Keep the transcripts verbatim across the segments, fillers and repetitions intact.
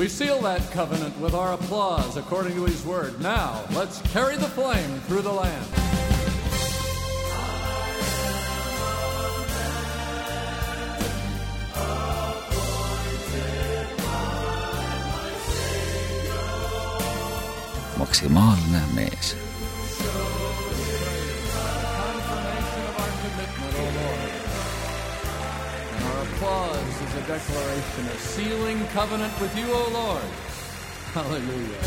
We seal that covenant with our applause according to his word. Now, let's carry the flame through the land. Maksimaalne mees. Applause is a declaration, a sealing covenant with you, O Lord. Hallelujah.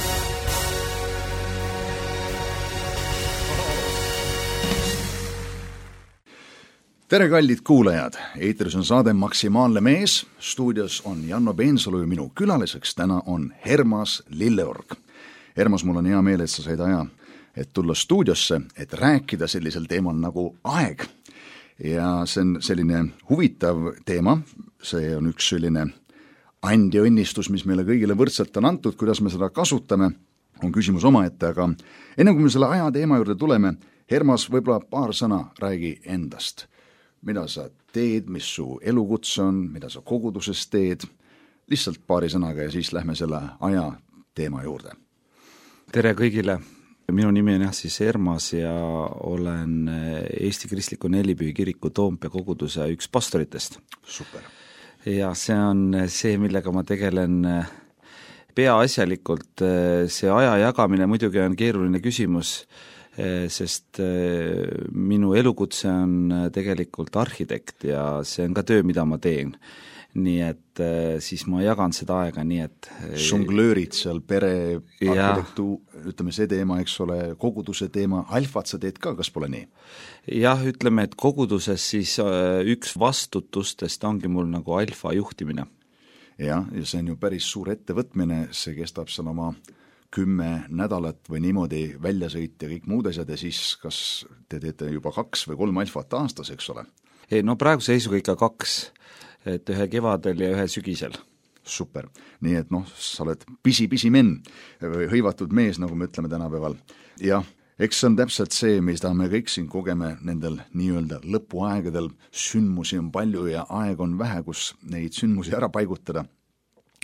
Tere kallid kuulajad, eetris on saade Maksimaalne mees, stuudios on Janno Peensalu ja minu külaliseks täna on Hermas Lilleorg. Hermas, mul on hea meel, et sa said aja, et tulla stuudiosse, et rääkida sellisel teemal nagu aeg. Ja see on selline huvitav teema, see on üks selline andi õnnistus, mis meile kõigile võrdselt on antud, kuidas me seda kasutame, on küsimus omaette, aga enne kui me selle aja teema juurde tuleme, Hermas, võib-olla paar sõna räägi endast. Mida sa teed, mis su elukutse on, mida sa koguduses teed, lihtsalt paari sõnaga ja siis lähme selle aja teema juurde. Tere kõigile! Minu nimi on jah siis Hermas ja olen Eesti Kristliku Nelipühi kiriku Toompea koguduse üks pastoritest. Super. Ja see on see, millega ma tegelen peaasjalikult. See aja jagamine muidugi on keeruline küsimus, sest minu elukutse on tegelikult arhitekt ja see on ka töö, mida ma teen. Nii et siis ma jagan seda aega nii, et Žonglöörid seal pere, arhitektu, ütleme see teema, eks ole, koguduse teema, alfat sa teed ka, kas pole nii? Jah, ütleme, et koguduses siis üks vastutustest ongi mul nagu alfa juhtimine. Ja, ja see on ju päris suur ettevõtmine, see kestab seal oma kümme nädalat või niimoodi väljasõit ja kõik muud asjad ja siis kas te teete juba kaks või kolm alfat aastas, eks ole? Ei, no praegu seisuga ikka kaks, et ühe kevadel ja ühe sügisel. Super. Nii et noh, sa oled pisi-pisi men või hõivatud mees, nagu me ütleme tänapäeval. Ja eks see on täpselt see, mida me kõik siin kogeme nendel nii-öelda lõpuaegadel. Sündmusi on palju ja aeg on vähe, kus neid sündmusi ära paigutada.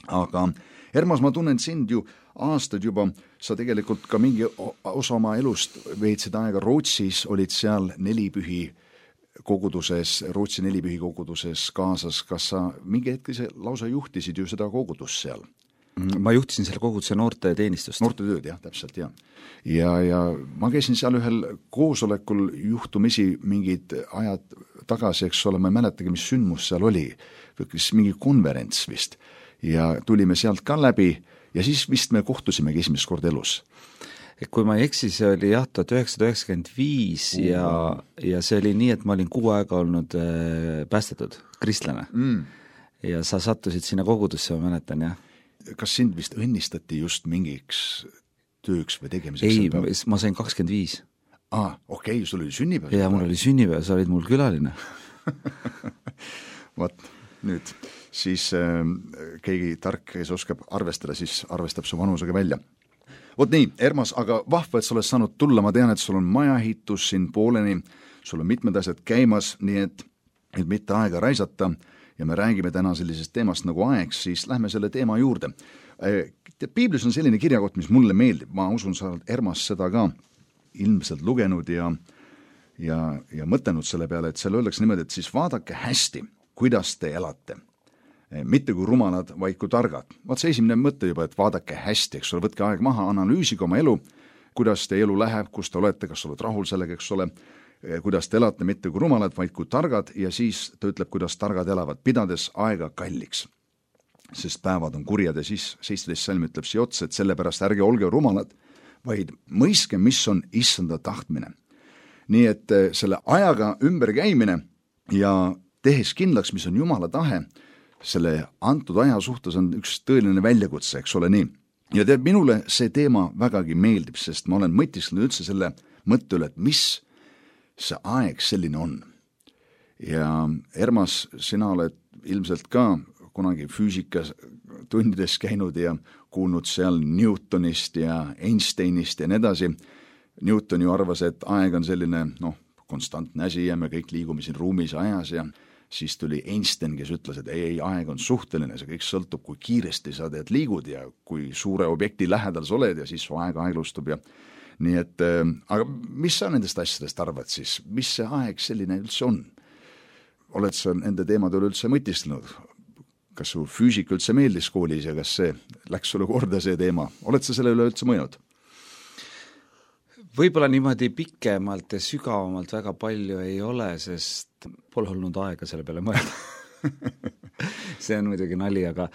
Aga Hermas, ma tunnen sind ju aastad juba, sa tegelikult ka mingi osa oma elust veetsid aega Rootsis, olid seal Nelipühi koguduses, Rootsi Nelipühi koguduses kaasas, kas sa mingi hetki see lausa juhtisid ju seda kogudust seal? Ma juhtisin selle koguduse noorte teenistust. Noorte tööd, jah, täpselt, jah. Ja, ja ma käisin seal ühel koosolekul juhtumisi mingid ajad tagasi, eks ole, ma ei mäletagi, mis sündmus seal oli, mingi konverents vist, ja tulime sealt ka läbi ja siis vist me kohtusimegi esimest kord elus. Kui ma ei eksi, see oli jah, tuhat üheksasada üheksakümmend viis ja, ja see oli nii, et ma olin kuu aega olnud äh, päästetud, kristlane. Mm. Ja sa sattusid sinna kogudusse, ma mäletan, jah. Kas sind vist õnnistati just mingiks tööks või tegemiseks? Ei, ma sain kakskümmend viis. Ah, okei, okay, sul oli sünnipäev. Ja mul oli sünnipäev, sa olid mul külaline. Vaat, nüüd siis äh, keegi tark, kes oskab arvestada, siis arvestab su vanusega välja. Vot nii, Hermas, aga vahva, et sa oled saanud tulla, ma tean, et sul on majahitus siin pooleni, sul on mitmed asjad käimas, nii et, et mitte aega raisata ja me räägime täna sellisest teemast nagu aeg, siis lähme selle teema juurde. Piiblis on selline kirjakott, mis mulle meeldib, ma usun, sa oled Hermas seda ka ilmselt lugenud ja, ja, ja mõtelnud selle peale, et seal öeldakse niimoodi, et siis vaadake hästi, kuidas te elate. Mitte kui rumalad, vaid kui targad. Vaat see esimene mõte juba, et vaadake hästi, eks ole, võtke aeg maha, analüüsige oma elu, kuidas te elu läheb, kus te olete, kas oled rahul sellega, eks ole, kuidas te elate, mitte kui rumalad, vaid kui targad ja siis ta ütleb, kuidas targad elavad, pidades aega kalliks. Sest päevad on kurjad ja siis seitseteist salm ütleb siia otsa, et sellepärast ärge olge rumalad, vaid mõiske, mis on issanda tahtmine. Nii et selle ajaga ümber käimine ja tehes kindlaks, mis on Jumala tahe, selle antud aja suhtes on üks tõeline väljakutse, eks ole nii. Ja tead, minule see teema vägagi meeldib, sest ma olen mõtisklenud üldse selle mõtte üle, et mis see aeg selline on. Ja Hermas, sina oled ilmselt ka kunagi füüsikas tundides käinud ja kuulnud seal Newtonist ja Einsteinist ja nii edasi. Newton ju arvas, et aeg on selline, noh, konstantne asi ja me kõik liigume siin ruumis ajas ja siis tuli Einstein, kes ütles, et ei, ei, aeg on suhteline, see kõik sõltub, kui kiiresti sa teed liigud ja kui suure objekti lähedal sa oled ja siis su aeg aeglustub ja nii et, aga mis sa nendest asjadest arvad siis, mis see aeg selline üldse on? Oled sa nende teemade üle üldse mõtistanud? Kas su füüsika üldse meeldis koolis ja kas see läks sulle korda see teema? Oled sa selle üle üldse mõjunud? Võib-olla niimoodi pikemalt ja sügavamalt väga palju ei ole, sest pole olnud aega selle peale mõelda. See on muidugi nali, aga,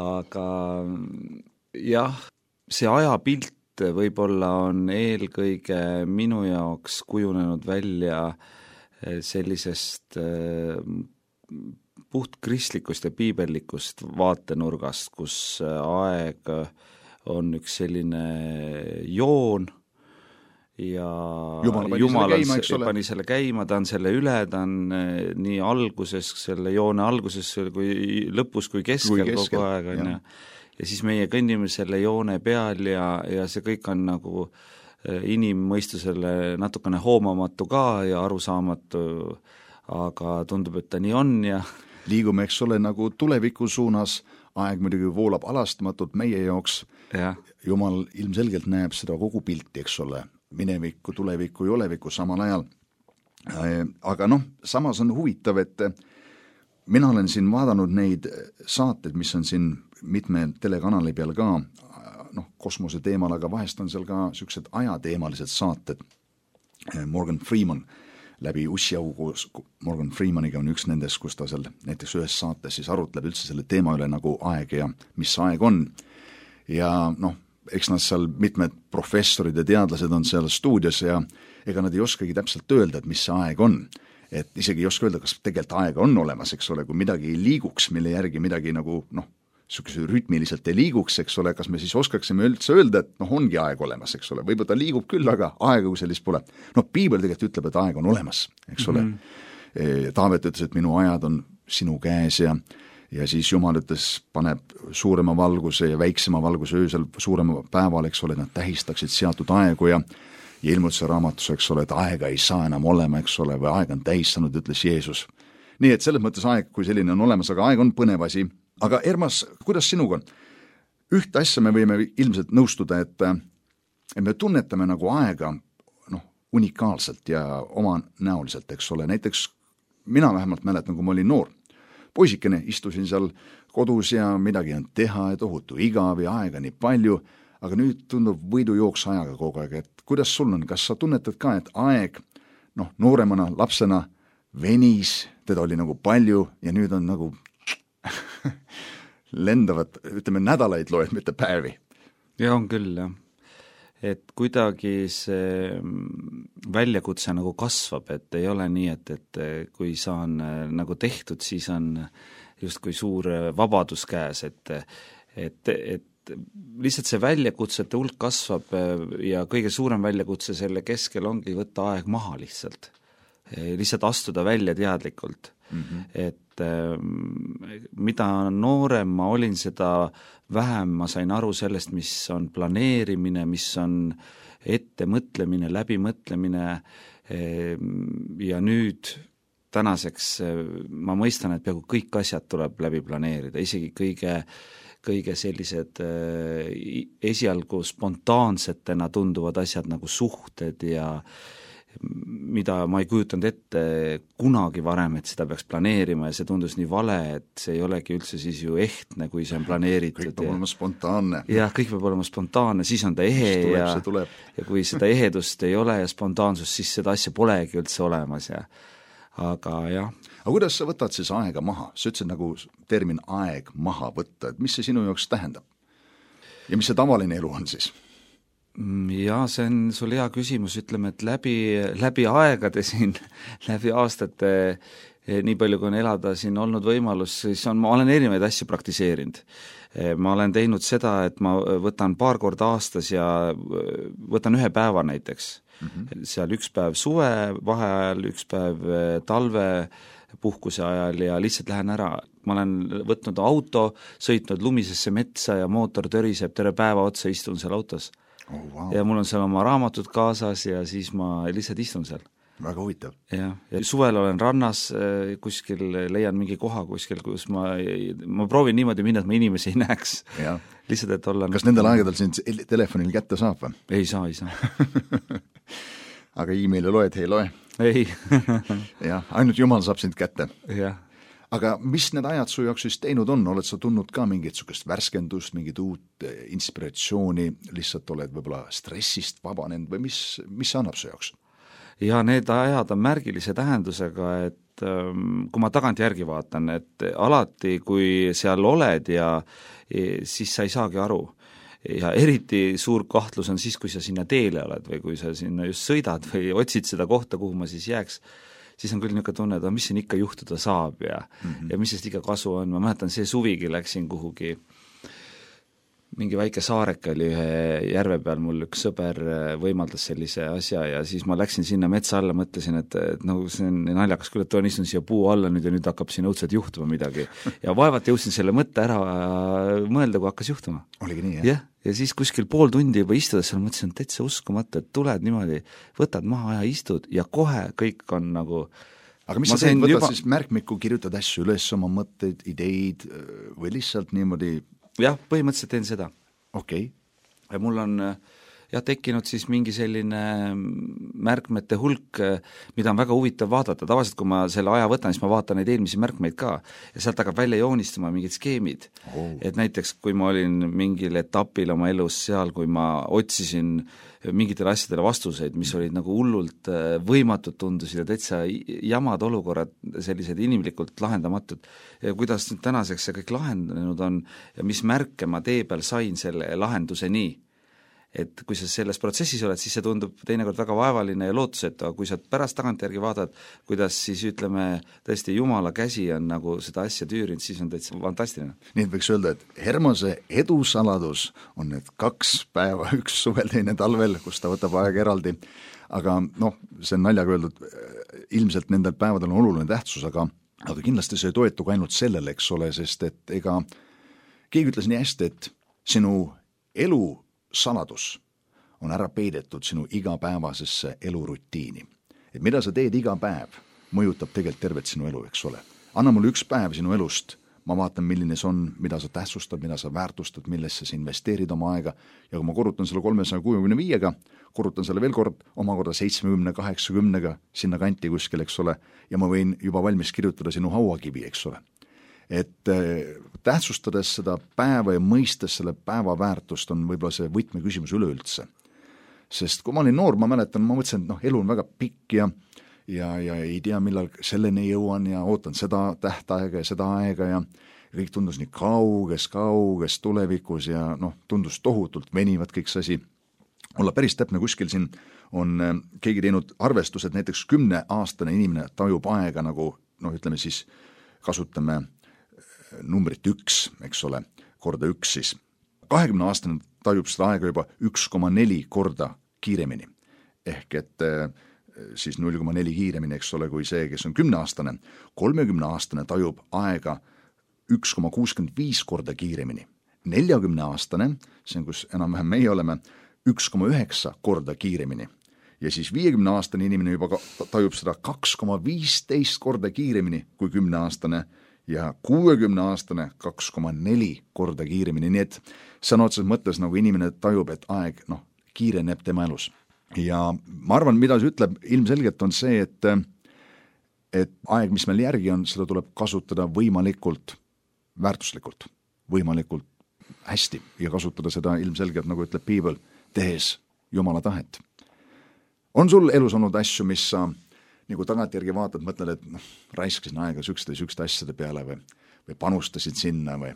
aga jah, see ajapilt võib-olla on eelkõige minu jaoks kujunenud välja sellisest puht kristlikust ja piibellikust vaatenurgast, kus aeg on üks selline joon ja Jumal pani, Jumal selle, käima, pani selle käima, ta on selle üle, ta on nii alguses, selle joone alguses kui lõpus kui keskel, kui keskel kogu aeg on ja ja siis meie kõnnime selle joone peal ja, ja see kõik on nagu inimmõistusele natukene hoomamatu ka ja arusaamatu, aga tundub, et ta nii on ja liigume, eks ole, nagu tuleviku suunas, aeg muidugi voolab alastamatult meie jaoks ja. Jumal ilmselgelt näeb seda kogu pilti, eks ole, minevikku, tulevikku ja olevikku samal ajal. Aga noh, samas on huvitav, et mina olen siin vaadanud neid saateid, mis on siin mitme telekanali peal ka, noh, kosmose teemal, aga vahest on seal ka sellised ajateemalised saated. Morgan Freeman läbi Ussiau koos Morgan Freemaniga on üks nendest, kus ta seal näiteks ühes saates siis arutleb üldse selle teema üle nagu aeg ja mis aeg on. Ja noh, eks nad seal mitmed professorid ja teadlased on seal stuudios ja ega nad ei oskagi täpselt öelda, et mis see aeg on. Et isegi ei oska öelda, kas tegelikult aega on olemas, eks ole, kui midagi ei liiguks, mille järgi midagi nagu noh, niisuguse rütmiliselt ei liiguks, eks ole, kas me siis oskaksime üldse öelda, et noh, ongi aeg olemas, eks ole, võib-olla ta liigub küll, aga aega kui sellist pole. Noh, piibel tegelikult ütleb, et aeg on olemas, eks ole. Mm-hmm. Taavet ütles, et minu ajad on sinu käes ja, ja siis Jumal ütles, paneb suurema valguse ja väiksema valguse öösel suurema päeval, eks ole, nad tähistaksid seatud aegu ja ja ilmutuse raamatus, eks ole, et aega ei saa enam olema, eks ole, või aeg on tähistanud, ütles Jeesus. Nii et selles mõttes aeg kui selline on olemas, aga aeg on põnev asi. Aga Ermas, kuidas sinuga on? Ühte asja me võime ilmselt nõustuda, et, et me tunnetame nagu aega noh, unikaalselt ja oma näoliselt, eks ole. Näiteks mina vähemalt mäletan, kui ma olin noor. Poisikene istusin seal kodus ja midagi on teha ja tohutu igav ja aega nii palju, aga nüüd tundub võidujooks ajaga kogu aeg, et kuidas sul on, kas sa tunnetad ka, et aeg noh, nooremana, lapsena venis, teda oli nagu palju ja nüüd on nagu lendavad, ütleme nädalaid loed, mitte päevi. Ja on küll, jah. Et kuidagi see väljakutse nagu kasvab, et ei ole nii, et, et kui saan nagu tehtud, siis on just kui suur vabadus käes, et, et, et lihtsalt see väljakutsete hulk kasvab ja kõige suurem väljakutse selle keskel ongi võtta aeg maha lihtsalt. Lihtsalt astuda välja teadlikult. Mm-hmm. Et äh, mida noorem ma olin, seda vähem ma sain aru sellest, mis on planeerimine, mis on ettemõtlemine, läbimõtlemine äh, ja nüüd tänaseks äh, ma mõistan, et peaaegu kõik asjad tuleb läbi planeerida, isegi kõige kõige sellised äh, esialgu spontaansetena tunduvad asjad nagu suhted ja mida ma ei kujutanud ette kunagi varem, et seda peaks planeerima ja see tundus nii vale, et see ei olegi üldse siis ju ehtne, kui see on planeeritud. Kõik peab olema spontaanne. Jah, kõik peab olema spontaanne, siis on ta ehe tuleb, ja, tuleb. ja kui seda ehedust ei ole ja spontaansust, siis seda asja polegi üldse olemas ja aga jah. Aga kuidas sa võtad siis aega maha? Sa ütlesid nagu termin aeg maha võtta, et mis see sinu jaoks tähendab? Ja mis see tavaline elu on siis? Jaa, see on sul hea küsimus, ütleme, et läbi, läbi aegade siin, läbi aastate, nii palju kui on elada siin olnud võimalus, siis on, ma olen erinevaid asju praktiseerinud. Ma olen teinud seda, et ma võtan paar korda aastas ja võtan ühe päeva näiteks. Mm-hmm. Seal üks päev suve vaheajal, üks päev talve puhkuse ajal ja lihtsalt lähen ära. Ma olen võtnud auto, sõitnud lumisesse metsa ja mootor töriseb terve päeva otsa, istun seal autos. Oh, wow. Ja mul on seal oma raamatud kaasas ja siis ma lihtsalt istun seal. väga huvitav. jah, ja suvel olen rannas kuskil, leian mingi koha kuskil, kus ma, ma proovin niimoodi minna, et ma inimesi ei näeks. Lihtsalt, et olla... Kas nendel aegadel sind telefonil kätte saab või? Ei saa, ei saa. Aga e-maili loed, ei loe? Ei. jah, ainult Jumal saab sind kätte. Jah. Aga mis need ajad su jaoks siis teinud on? Oled sa tundnud ka mingit sukest värskendust, mingit uut inspiratsiooni, lihtsalt oled võib-olla stressist vabanenud või mis, mis see annab su jaoks? Ja need ajad on märgilise tähendusega, et kui ma tagant järgi vaatan, et alati, kui seal oled ja siis sa ei saagi aru. Ja eriti suur kahtlus on siis, kui sa sinna teele oled või kui sa sinna just sõidad või otsid seda kohta, kuhu ma siis jääks, siis on küll niisugune tunne, et mis siin ikka juhtuda saab ja, mm -hmm. ja mis sest ikka kasu on. Ma mäletan, see suvigi läksin kuhugi, mingi väike saareke oli ühe järve peal, mul üks sõber võimaldas sellise asja ja siis ma läksin sinna metsa alla, mõtlesin, et, et no see on naljakas küll, et toon istun siia puu alla nüüd ja nüüd hakkab siin õudselt juhtuma midagi. Ja vaevalt jõudsin selle mõtte ära mõelda, kui hakkas juhtuma. Oligi nii, jah? jah, ja siis kuskil pool tundi juba istudes seal mõtlesin, et täitsa uskumata, et tuled niimoodi, võtad maha ja istud ja kohe kõik on nagu... Aga mis ma sa teed, võtad juba... siis märkmiku, kirjutad asju üles, oma mõtteid, ideid või lihtsalt niimoodi... jah, põhimõtteliselt teen seda. Okei okay.. Ja mul on jah, tekkinud siis mingi selline märkmete hulk, mida on väga huvitav vaadata. Tavaliselt, kui ma selle aja võtan, siis ma vaatan neid eelmisi märkmeid ka ja sealt hakkab välja joonistama mingid skeemid. Oh. Et näiteks, kui ma olin mingil etapil oma elus seal, kui ma otsisin mingitele asjadele vastuseid, mis olid nagu hullult võimatud tundusid ja täitsa jamad olukorrad, sellised inimlikult lahendamatud. Ja kuidas nüüd tänaseks see kõik lahendanud on ja mis märke ma tee peal sain selle lahenduse nii. Et kui sa selles protsessis oled, siis see tundub teinekord väga vaevaline ja lootusetu, aga kui sa pärast tagantjärgi vaatad, kuidas siis ütleme, tõesti Jumala käsi on nagu seda asja tüürinud, siis on täitsa fantastiline. Nii et võiks öelda, et Hermose edusaladus on need kaks päeva, üks suvel, teine talvel, kus ta võtab aega eraldi, aga noh, see on naljaga öeldud, ilmselt nendel päevadel on oluline tähtsus, aga, aga kindlasti see ei toetuga ainult sellele, eks ole, sest et ega keegi ütles nii hästi, et sinu elu saladus on ära peidetud sinu igapäevasesse elurutiini. Et mida sa teed iga päev, mõjutab tegelikult tervet sinu elu, eks ole. Anna mulle üks päev sinu elust, ma vaatan, milline see on, mida sa tähtsustad, mida sa väärtustad, millesse sa investeerid oma aega ja kui ma korrutan selle kolmesaja kuuekümne viiega, korrutan selle veel kord omakorda seitsmekümne kaheksakümnega sinna kanti kuskil, eks ole, ja ma võin juba valmis kirjutada sinu hauakivi, eks ole. Et tähtsustades seda päeva ja mõistes selle päeva väärtust on võib-olla see võtmeküsimus üleüldse. Sest kui ma olin noor, ma mäletan, ma mõtlesin, et noh, elu on väga pikk ja, ja, ja ei tea, millal selleni jõuan ja ootan seda tähtaega ja seda aega ja kõik tundus nii kauges, kauges tulevikus ja noh, tundus tohutult venivad kõik see asi. Olla päris täpne kuskil siin on keegi teinud arvestused, näiteks kümne aastane inimene tajub aega nagu, noh, ütleme siis, kasutame numbrit üks, eks ole, korda üks siis. kahekümne aastane tajub seda aega juba üks koma neli korda kiiremini. Ehk et siis null koma neli kiiremini, eks ole, kui see, kes on kümne aastane. kolmekümne aastane tajub aega üks koma kuuskümmend viis korda kiiremini. neljakümne aastane, see on, kus enam-vähem meie oleme, üks koma üheksa korda kiiremini. Ja siis viiekümne aastane inimene juba tajub seda kaks koma viisteist korda kiiremini kui kümne aastane ja kuuekümne aastane kaks koma neli korda kiiremini, nii et sõna otseses mõttes nagu inimene tajub, et aeg noh, kiireneb tema elus. Ja ma arvan, mida see ütleb ilmselgelt on see, et, et aeg, mis meil järgi on, seda tuleb kasutada võimalikult väärtuslikult, võimalikult hästi ja kasutada seda ilmselgelt, nagu ütleb Piibel, tehes Jumala tahet. On sul elus olnud asju, mis sa nagu tagantjärgi vaatad, mõtled, et noh, raiskasin aega sükste, sükste asjade peale või, või panustasid sinna või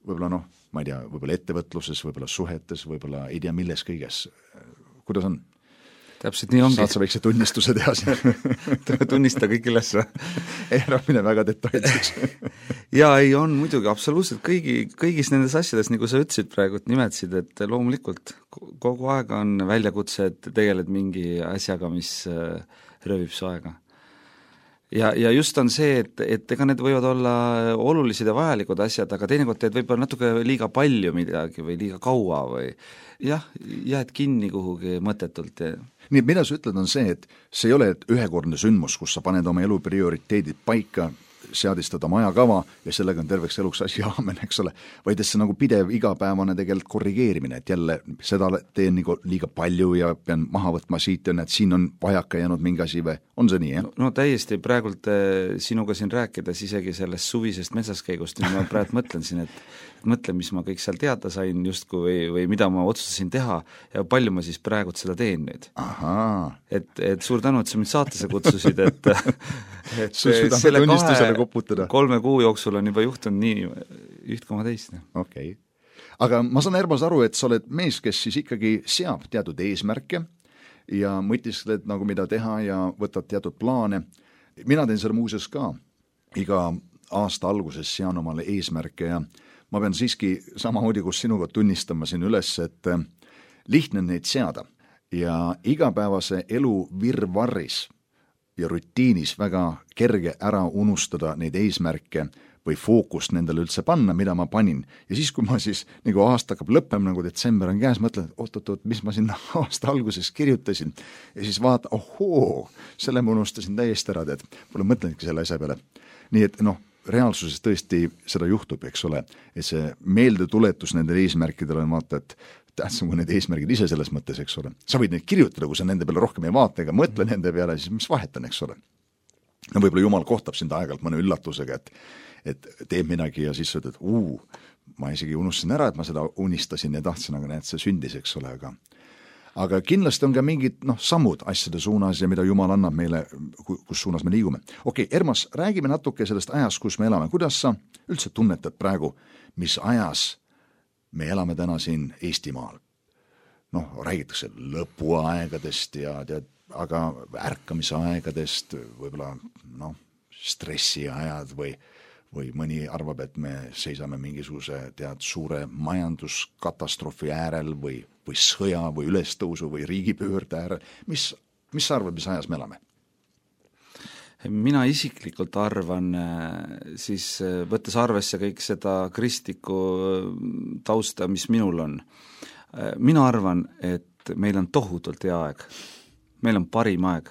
võib-olla noh, ma ei tea, võib-olla ettevõtluses, võib-olla suhetes, võib-olla ei tea milles kõiges. Kuidas on? Täpselt nii ongi. Saad sa väikse tunnistuse teha siin? Tunnista kõik üles. Ei ära mine väga detailseks. ja ei on muidugi absoluutselt kõigi, kõigis nendes asjades, nagu sa ütlesid praegu, et nimetasid, et loomulikult kogu aeg on väljakutse, et tegeled mingi asjaga, mis röövib su aega. ja, ja just on see, et, et ega need võivad olla olulised ja vajalikud asjad, aga teinekord teed võib-olla natuke liiga palju midagi või liiga kaua või jah, jääd kinni kuhugi mõttetult. Ja... nii, et mida sa ütled, on see, et see ei ole ühekordne sündmus, kus sa paned oma elu prioriteedid paika, seadistad oma ajakava ja sellega on terveks eluks asi aamen, eks ole, vaid et see nagu pidev igapäevane tegelikult korrigeerimine, et jälle seda teen nagu liiga palju ja pean maha võtma siit ja näed, siin on vajaka jäänud mingi asi või on see nii, jah? No, no täiesti, praegult sinuga siin rääkides isegi sellest suvisest metsaskäigust, nii ma praegu mõtlen siin, et mõtlen, mis ma kõik seal teada sain justkui või, või mida ma otsustasin teha ja palju ma siis praegult seda teen nüüd. Et, et suur tänu, et sa mind saatesse kutsusid, et, et selle kahe koputada. kolme kuu jooksul on juba juhtunud nii üht koma teist. Okei. Okay. Aga ma saan Ermas aru, et sa oled mees, kes siis ikkagi seab teatud eesmärke ja mõtiskled nagu mida teha ja võtad teatud plaane. Mina teen selle muuseas ka. Iga aasta alguses sean omale eesmärke ja ma pean siiski samamoodi, kus sinuga tunnistama siin üles, et lihtne neid seada ja igapäevase elu virvarris ja rutiinis väga kerge ära unustada neid eesmärke või fookust nendele üldse panna, mida ma panin. Ja siis, kui ma siis nagu aasta hakkab lõppema, nagu detsember on käes, mõtlen, et oot-oot-oot, mis ma sinna aasta alguses kirjutasin. Ja siis vaata, ohoo, selle ma unustasin täiesti ära, et pole mõtlenudki selle asja peale. Nii et noh, reaalsuses tõesti seda juhtub, eks ole, et see meeldetuletus nendele eesmärkidele on vaata, et tähtsam kui need eesmärgid ise selles mõttes, eks ole. Sa võid neid kirjutada, kui sa nende peale rohkem ei vaata ega mõtle nende peale, siis mis vahet on, eks ole. No võib-olla Jumal kohtab sind aegalt mõne üllatusega, et, et teeb midagi ja siis ütled, et uu, ma isegi unustasin ära, et ma seda unistasin ja tahtsin, aga näed, see sündis, eks ole, aga aga kindlasti on ka mingid noh, sammud asjade suunas ja mida Jumal annab meile, kus suunas me liigume. Okei, Ermas, räägime natuke sellest ajast, kus me elame. Kuidas sa üldse tunnetad praegu, mis ajas me elame täna siin Eestimaal? Noh, räägitakse lõpuaegadest ja tead, aga ärkamise aegadest, võib-olla noh, stressiajad või või mõni arvab, et me seisame mingisuguse tead suure majanduskatastroofi äärel või, või sõja või ülestõusu või riigipöörde äärel. Mis, mis sa arvad, mis ajas me elame? Mina isiklikult arvan, siis võttes arvesse kõik seda kristlikku tausta, mis minul on, mina arvan, et meil on tohutult hea aeg. Meil on parim aeg.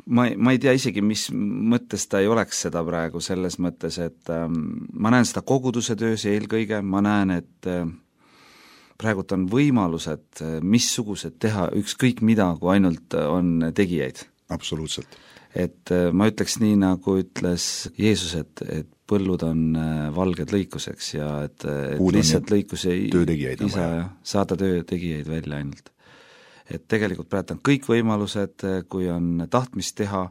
Ma, ma ei tea isegi, mis mõttes ta ei oleks seda praegu selles mõttes, et ähm, ma näen seda koguduse töös eelkõige, ma näen, et äh, praegult on võimalused, äh, missugused teha ükskõik mida, kui ainult on tegijaid. Absoluutselt. Et äh, ma ütleks nii, nagu ütles Jeesus, et, et põllud on äh, valged lõikuseks ja et, et lihtsalt lõikus ei isa saada töötegijaid välja ainult. Et tegelikult praegu on kõik võimalused, kui on tahtmist teha,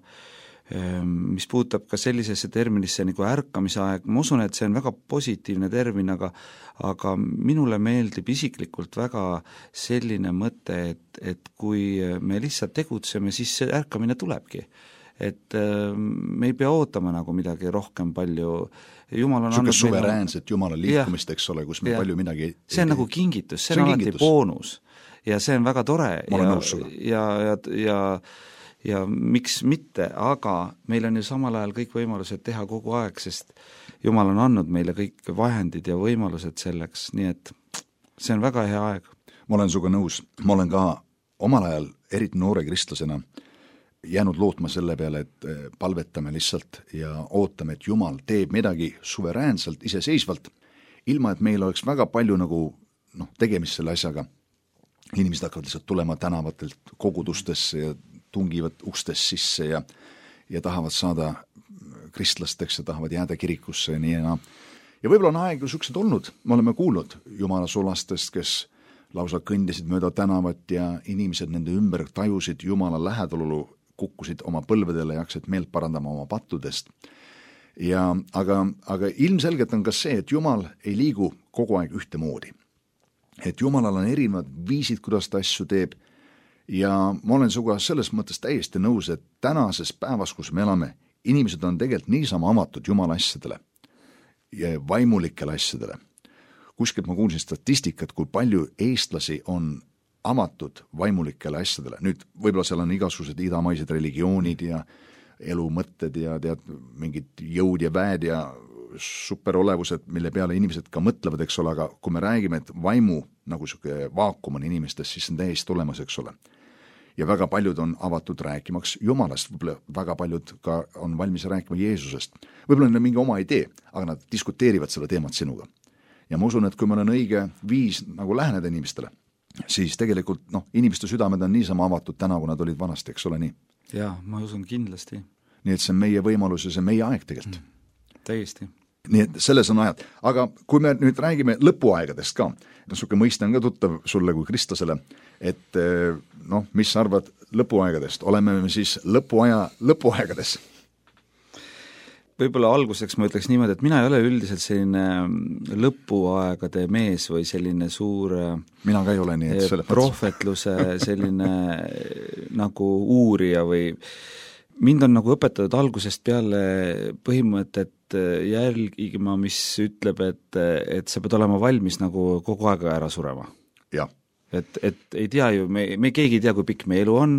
mis puudutab ka sellisesse terminisse nagu ärkamise aeg, ma usun, et see on väga positiivne termin, aga, aga minule meeldib isiklikult väga selline mõte, et, et kui me lihtsalt tegutseme, siis see ärkamine tulebki. Et me ei pea ootama nagu midagi rohkem palju. Jumal on andnud suveräänset Jumala liikumist, eks ole, kus me ja. palju midagi ei, see on ei, nagu kingitus, see, see on alati boonus. Ja see on väga tore ja, ja, ja, ja, ja miks mitte, aga meil on ju samal ajal kõik võimalused teha kogu aeg, sest Jumal on andnud meile kõik vahendid ja võimalused selleks, nii et see on väga hea aeg. Ma olen suga nõus, ma olen ka omal ajal eriti noore kristlasena jäänud lootma selle peale, et palvetame lihtsalt ja ootame, et Jumal teeb midagi suveräänselt, iseseisvalt, ilma et meil oleks väga palju nagu noh, tegemist selle asjaga. Inimesed hakkavad lihtsalt tulema tänavatelt kogudustesse ja tungivad ustest sisse ja, ja tahavad saada kristlasteks ja tahavad jääda kirikusse ja nii enam. Ja võib-olla on aeg ju suksid olnud, me oleme kuulnud Jumala sulastest, kes lausa kõndisid mööda tänavat ja inimesed nende ümber tajusid Jumala lähedalolu, kukkusid oma põlvedele ja hakkasid meelt parandama oma pattudest. Ja, aga, aga ilmselgelt on ka see, et Jumal ei liigu kogu aeg ühte moodi. Et Jumalal on erinevad viisid, kuidas ta asju teeb ja ma olen suga selles mõttes täiesti nõus, et tänases päevas, kus me elame, inimesed on tegelikult niisama avatud Jumala asjadele ja vaimulikele asjadele. Kuskilt ma kuulsin statistikat, kui palju eestlasi on avatud vaimulikele asjadele. Nüüd võib-olla seal on igasugused idamaised religioonid ja elu mõtted ja tead, mingid jõud ja väed ja superolevused, mille peale inimesed ka mõtlevad, eks ole, aga kui me räägime, et vaimu nagu selline vaakum on inimestes, siis on täiesti olemas, eks ole. Ja väga paljud on avatud rääkimaks Jumalast, võib-olla väga paljud ka on valmis rääkima Jeesusest. Võib-olla on mingi oma idee, aga nad diskuteerivad selle teemat sinuga. Ja ma usun, et kui meil on õige viis nagu läheneda inimestele, siis tegelikult noh, inimeste südamed on niisama avatud täna, kui nad olid vanasti, eks ole nii? Jaa, ma usun kindlasti. Nii et see on meie võimalus ja see on meie aeg tegelikult. Mm, täiesti. Nii et selles on ajad. Aga kui me nüüd räägime lõpuaegadest ka, no suke mõiste on ka tuttav sulle kui Kristlasele, et noh, mis sa arvad lõpuaegadest? Oleme me siis lõpuaja lõpuaegades? Võib-olla alguseks ma ütleks niimoodi, et mina ei ole üldiselt selline lõpuaegade mees või selline suur mina ka ei ole nii, et selle prohvetluse selline nagu uurija või mind on nagu õpetatud algusest peale põhimõtet jälgima, mis ütleb, et, et sa pead olema valmis nagu kogu aeg ära surema. Ja. Et, et ei tea ju, me, me keegi ei tea, kui pikk me elu on,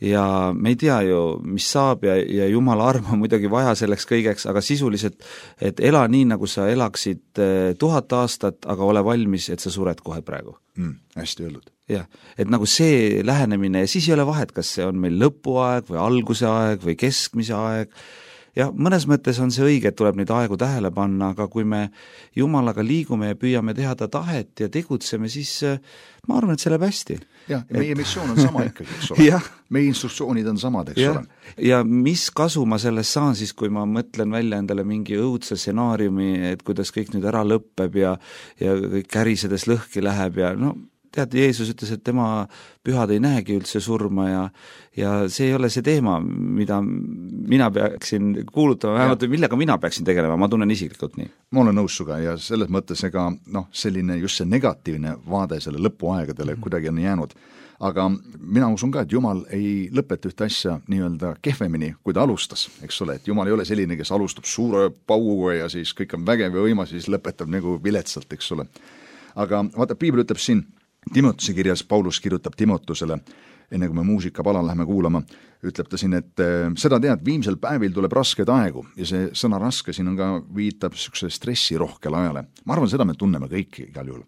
ja me ei tea ju, mis saab ja, ja Jumala arm on muidugi vaja selleks kõigeks, aga sisuliselt, et ela nii, nagu sa elaksid tuhat aastat, aga ole valmis, et sa sured kohe praegu. Mm, hästi öeldud. Jah, et nagu see lähenemine ja siis ei ole vahet, kas see on meil lõpuaeg või alguse aeg või keskmise aeg. Ja mõnes mõttes on see õige, et tuleb neid aegu tähele panna, aga kui me Jumalaga liigume ja püüame teha ta tahet ja tegutseme, siis ma arvan, et see läheb hästi. Jah, ja meie et... missioon on sama ikkagi, eks ole. Meie instruktsioonid on samad, eks ja. ole. Ja mis kasu ma sellest saan siis, kui ma mõtlen välja endale mingi õudse stsenaariumi, et kuidas kõik nüüd ära lõppeb ja, ja kõik kärisedes lõhki läheb ja no tead, Jeesus ütles, et tema pühad ei näegi üldse surma ja, ja see ei ole see teema, mida mina peaksin kuulutama, vähemalt millega mina peaksin tegelema, ma tunnen isiklikult nii. Ma olen nõus suga ja selles mõttes ega noh, selline just see negatiivne vaade selle lõpuaegadele mm-hmm. kuidagi on jäänud. Aga mina usun ka, et Jumal ei lõpeta ühte asja nii-öelda kehvemini, kui ta alustas, eks ole, et Jumal ei ole selline, kes alustab suure pauguga ja siis kõik on vägev ja võimas, siis lõpetab nagu viletsalt, eks ole. Aga vaata, Piibel ütleb siin, Timotuse kirjas Paulus kirjutab Timotusele, enne kui me muusikapala läheme kuulama, ütleb ta siin, et seda tead, viimsel päevil tuleb rasked aegu ja see sõna raske siin on ka viitab sükse stressi rohkel ajale. Ma arvan, seda me tunneme kõik igal juhul,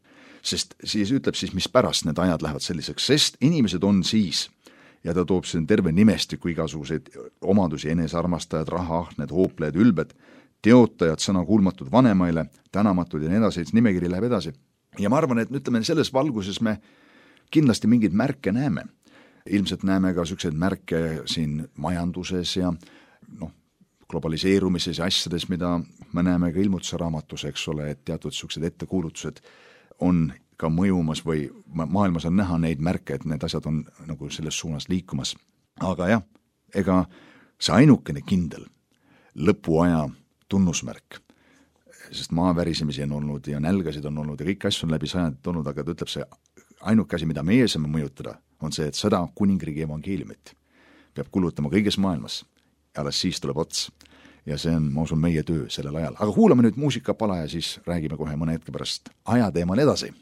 sest siis ütleb siis, mis pärast need ajad lähevad selliseks, sest inimesed on siis ja ta toob siin terve nimestiku igasuguseid omadusi, enesearmastajad, rahaahned, hooplejad, ülbed, teotajad, sõna kuulmatud vanemaile, tänamatud ja nii edasi, nimekiri läheb edasi. Ja ma arvan, et ütleme, selles valguses me kindlasti mingeid märke näeme. Ilmselt näeme ka selliseid märke siin majanduses ja noh, globaliseerumises ja asjades, mida me näeme ka ilmutuse raamatus, eks ole, et teatud sellised ettekuulutused on ka mõjumas või maailmas on näha neid märke, et need asjad on nagu selles suunas liikumas. Aga jah, ega see ainukene kindel lõpuaja tunnusmärk, sest maavärisemisi on olnud ja nälgasid on olnud ja kõik asju on läbi sajandit olnud, aga ta ütleb see ainuke asi, mida meie saame mõjutada, on see, et seda kuningriigi evangeeliumit peab kulutama kõiges maailmas ja alles siis tuleb ots. Ja see on, ma usun, meie töö sellel ajal. Aga kuulame nüüd muusikapala ja siis räägime kohe mõne hetke pärast ajateemal edasi.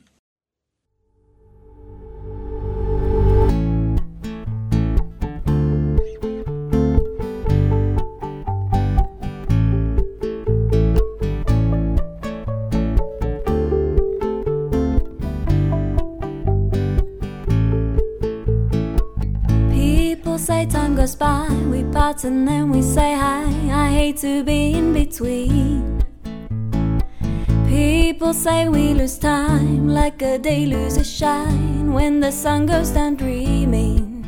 Say time goes by, we part and then we say hi. I hate to be in between. People say we lose time like a day loses shine when the sun goes down dreaming.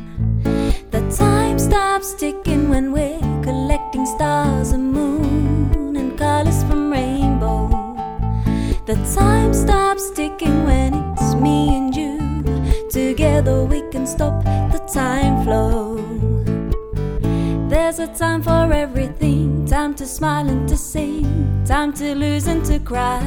The time stops ticking when we're collecting stars and moon and colors from rainbow. The time stops ticking when it's me and you. Together we can stop the time flow. There's a time for everything, time to smile and to sing, time to lose and to cry.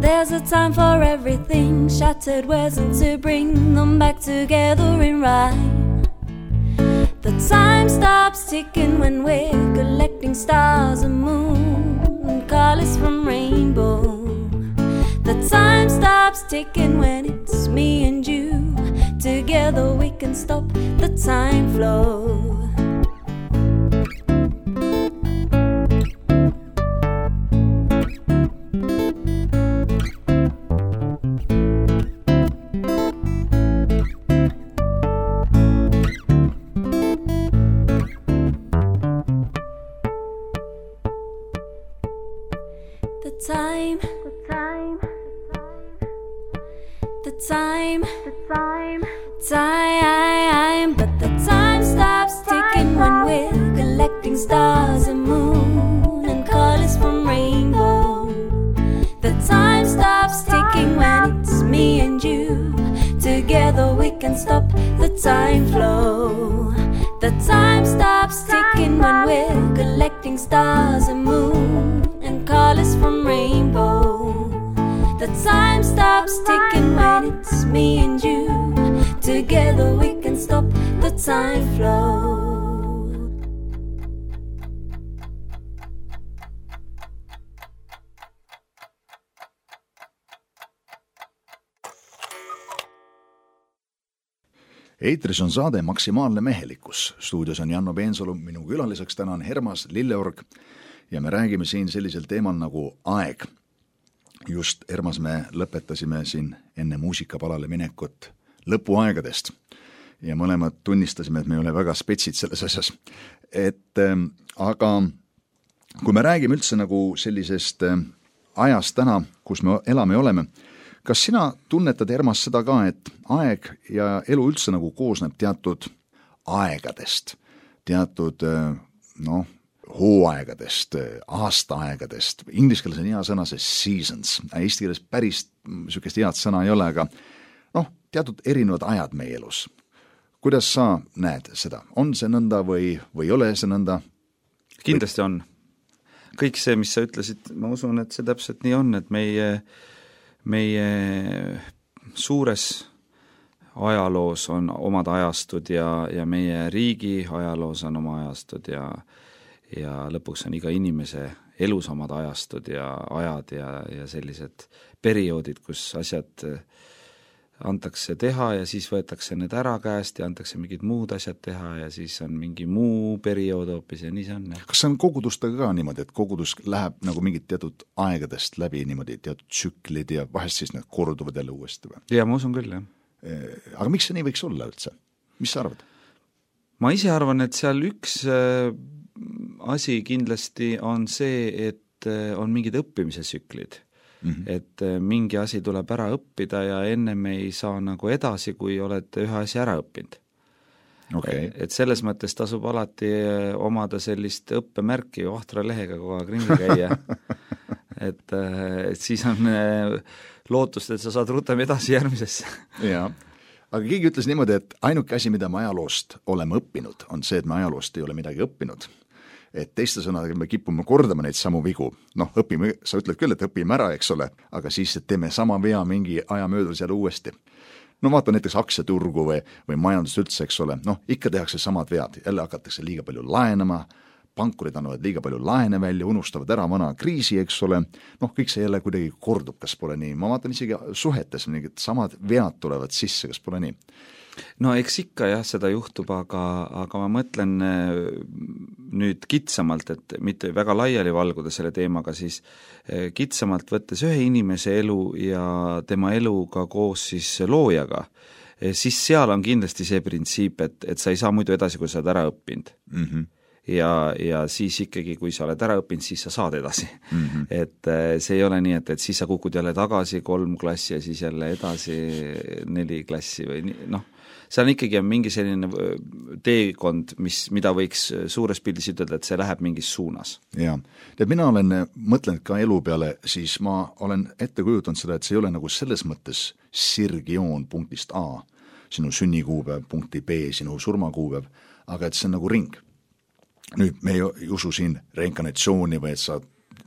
There's a time for everything, shattered words and to bring them back together in rhyme. The time stops ticking when we're collecting stars and moon and colors from rainbow. The time stops ticking when it's me and you. Together we can stop the time flow. time, the time, time, but the time stops ticking when we're collecting stars and moon and colors from rainbow. The time stops ticking when it's me and you. Together we can stop the time flow. The time stops ticking when we're collecting stars and moon and colors from rainbow. The time stops ticking when it's me and you. Together we can stop the time flow. Eetris on saade Maksimaalne mehelikkus. Stuudios on Janno Peensalu, minu külaliseks täna on Hermas Lilleorg ja me räägime siin sellisel teemal nagu aeg. Just Hermas me lõpetasime siin enne muusikapalale minekut lõpuaegadest ja mõlemad tunnistasime, et me ei ole väga spetsid selles asjas. Et, äh, aga kui me räägime üldse nagu sellisest äh, ajast täna, kus me elame ja oleme, kas sina tunnetad, Hermas, seda ka, et aeg ja elu üldse nagu koosneb teatud aegadest, teatud noh, hooaegadest, aastaaegadest, inglise keeles on hea sõna see seasons, eesti keeles päris niisugust head sõna ei ole, aga noh, teatud erinevad ajad meie elus. Kuidas sa näed seda? On see nõnda või, või ei ole see nõnda? Kindlasti on. Kõik see, mis sa ütlesid, ma usun, et see täpselt nii on, et meie meie suures ajaloos on omad ajastud ja, ja meie riigi ajaloos on oma ajastud ja, ja lõpuks on iga inimese elus omad ajastud ja ajad ja, ja sellised perioodid, kus asjad antakse teha ja siis võetakse need ära käest ja antakse mingid muud asjad teha ja siis on mingi muu periood hoopis ja nii see on. Kas see on kogudustega ka niimoodi, et kogudus läheb nagu mingid teatud aegadest läbi niimoodi, teatud tsüklid ja vahest siis need korduvad jälle uuesti või? Ja ma usun küll, jah. Aga miks see nii võiks olla üldse? Mis sa arvad? Ma ise arvan, et seal üks asi kindlasti on see, et on mingid õppimise tsüklid. Mm-hmm. Et mingi asi tuleb ära õppida ja enne me ei saa nagu edasi, kui olete ühe asi ära õppinud. Okay. Et selles mõttes tasub alati omada sellist õppemärki vahtra lehega kogu aeg ringi käia. et, et siis on lootust, et sa saad rutem edasi järgmisesse. Jaa, aga keegi ütles niimoodi, et ainuke asi, mida me ajaloost oleme õppinud, on see, et me ajaloost ei ole midagi õppinud. Et teiste sõnadega me kipume kordama neid samu vigu. Noh, õpime, sa ütled küll, et õpime ära, eks ole, aga siis teeme sama vea mingi aja möödus jälle uuesti. No vaata näiteks aktsiaturgu või, või majandus üldse, eks ole, noh, ikka tehakse samad vead, jälle hakatakse liiga palju laenama, pankurid annavad liiga palju laene välja, unustavad ära vana kriisi, eks ole, noh, kõik see jälle kuidagi kordub, kas pole nii, ma vaatan isegi suhetes, mingid samad vead tulevad sisse, kas pole nii? No eks ikka jah, seda juhtub, aga, aga ma mõtlen nüüd kitsamalt, et mitte väga laiali valguda selle teemaga, siis kitsamalt võttes ühe inimese elu ja tema eluga koos siis loojaga, siis seal on kindlasti see printsiip, et, et sa ei saa muidu edasi, kui sa oled ära õppinud. Mm-hmm. Ja, ja siis ikkagi, kui sa oled ära õppinud, siis sa saad edasi. Mm-hmm. Et see ei ole nii, et, et siis sa kukud jälle tagasi kolm klassi ja siis jälle edasi neli klassi või nii, noh, seal on ikkagi mingi selline teekond, mis, mida võiks suures pildis ütelda, et see läheb mingis suunas. Jaa, et mina olen mõtlenud ka elu peale, siis ma olen ette kujutanud seda, et see ei ole nagu selles mõttes sirgjoon punktist A, sinu sünnikuupäev, punkti B, sinu surmakuupäev, aga et see on nagu ring. Nüüd me ei usu siin reinkarnatsiooni või et sa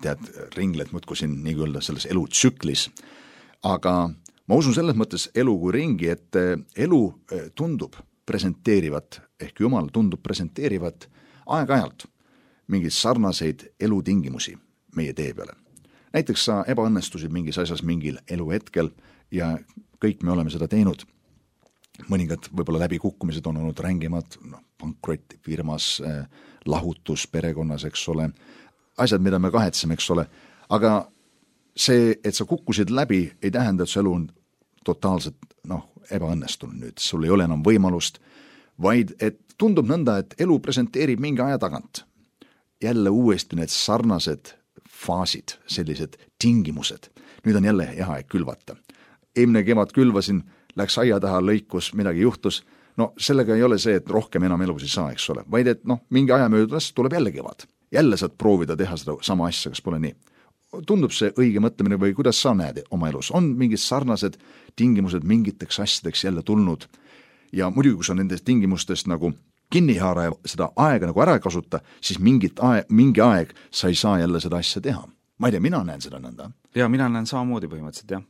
tead, ringled muudku siin nii öelda selles elutsüklis, aga ma usun selles mõttes elu kui ringi, et elu tundub presenteerivat, ehk Jumal tundub presenteerivat aeg-ajalt mingeid sarnaseid elutingimusi meie tee peale. Näiteks sa ebaõnnestusid mingis asjas mingil eluhetkel ja kõik me oleme seda teinud. Mõningad võib-olla läbikukkumised on olnud rängemad, noh, pankrott firmas, eh, lahutus perekonnas, eks ole, asjad, mida me kahetseme, eks ole, aga see, et sa kukkusid läbi, ei tähenda, et su elu on totaalselt noh, ebaõnnestunud nüüd, sul ei ole enam võimalust, vaid et tundub nõnda, et elu presenteerib mingi aja tagant. Jälle uuesti need sarnased faasid, sellised tingimused. Nüüd on jälle hea aeg külvata. eelmine kevad külvasin, läks aia taha, lõikus, midagi juhtus, no sellega ei ole see, et rohkem enam elus ei saa, eks ole, vaid et noh, mingi aja möödudes tuleb jälle kevad. Jälle saad proovida teha seda sama asja, kas pole nii. Tundub see õige mõtlemine või kuidas sa näed oma elus? On mingid sarnased tingimused mingiteks asjadeks jälle tulnud ja muidugi, kui sa nendest tingimustest nagu kinni haara ja seda aega nagu ära kasuta, siis mingit aeg, mingi aeg sa ei saa jälle seda asja teha. Ma ei tea, mina näen seda nõnda. Ja mina näen samamoodi põhimõtteliselt, jah.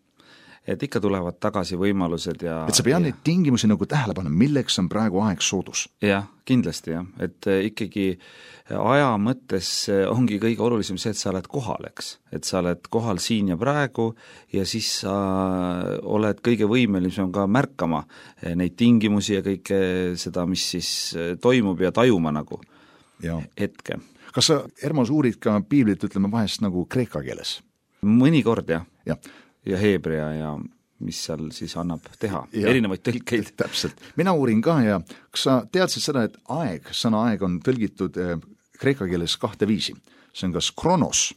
Et ikka tulevad tagasi võimalused ja... Et sa pead ja... neid tingimusi nagu tähele panna, milleks on praegu aeg soodus. Jah, kindlasti jah. Et ikkagi aja mõttes ongi kõige olulisem see, et sa oled kohal, eks. Et sa oled kohal siin ja praegu ja siis sa oled kõige võimelisem ka märkama neid tingimusi ja kõike seda, mis siis toimub ja tajuma nagu ja. Hetke. Kas sa, Ermas, uurid ka piiblit, ütleme vahest nagu kreeka keeles? Mõnikord jah. Jah. Ja heebrea ja mis seal siis annab teha, ja, erinevaid tõlkeid. Täpselt. Mina uurin ka ja kas sa teadsid seda, et aeg, sõna aeg on tõlgitud kreeka keeles kahte viisi. See on kas kronos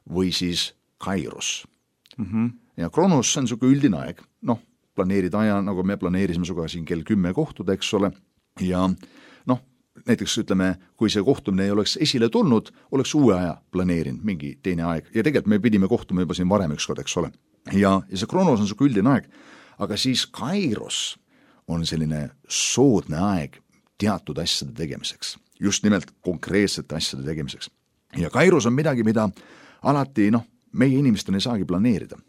või siis kairos. Mm-hmm. Ja kronos on suke üldine aeg. Noh, planeerid aja, nagu me planeerisime suga siin kell kümme kohtuda, eks ole. Ja noh, näiteks ütleme, kui see kohtumine ei oleks esile tulnud, oleks uue aja planeerinud, mingi teine aeg. Ja tegelikult me pidime kohtuma juba siin varem ükskord, eks ole. Ja, ja see kronos on suke üldine aeg, aga siis kairos on selline soodne aeg teatud asjade tegemiseks, just nimelt konkreetsete asjade tegemiseks. Ja kairos on midagi, mida alati, noh, meie inimestena ei saagi planeerida.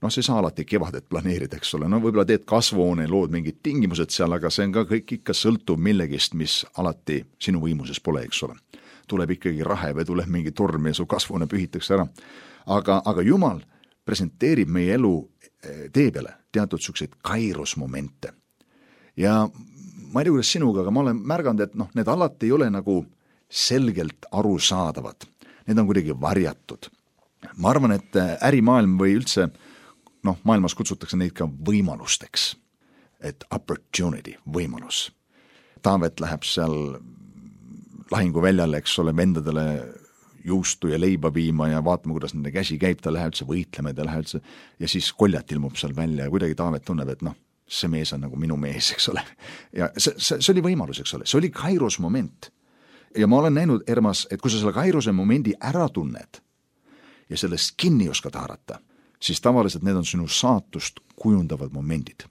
Noh, see ei saa alati kevadet planeerida, eks ole, no võib-olla teed kasvuhoone, lood mingid tingimused seal, aga see on ka kõik ikka sõltub millegist, mis alati sinu võimuses pole, eks ole. Tuleb ikkagi rahe või tuleb mingi torm ja su kasvuhoone pühitakse ära. Aga, aga Jumal presenteerib meie elu tee peale teatud selliseid kairosmomente. Ja ma ei tea, kuidas sinuga, aga ma olen märganud, et noh, need alati ei ole nagu selgelt arusaadavad. Need on kuidagi varjatud. Ma arvan, et ärimaailm või üldse, noh, maailmas kutsutakse neid ka võimalusteks. Et opportunity, võimalus. Taavet läheb seal lahinguväljale, eks ole, vendadele juustu ja leiba viima ja vaatama, kuidas nende käsi käib, ta läheb üldse võitlema, ta läheb üldse ja siis koljat ilmub seal välja ja kuidagi Taavet tunneb, et noh, see mees on nagu minu mees, eks ole. Ja see, see, see oli võimalus, eks ole, see oli kairos moment. Ja ma olen näinud, Ermas, et kui sa selle kairose momendi ära tunned ja sellest kinni oskad haarata, siis tavaliselt need on sinu saatust kujundavad momendid.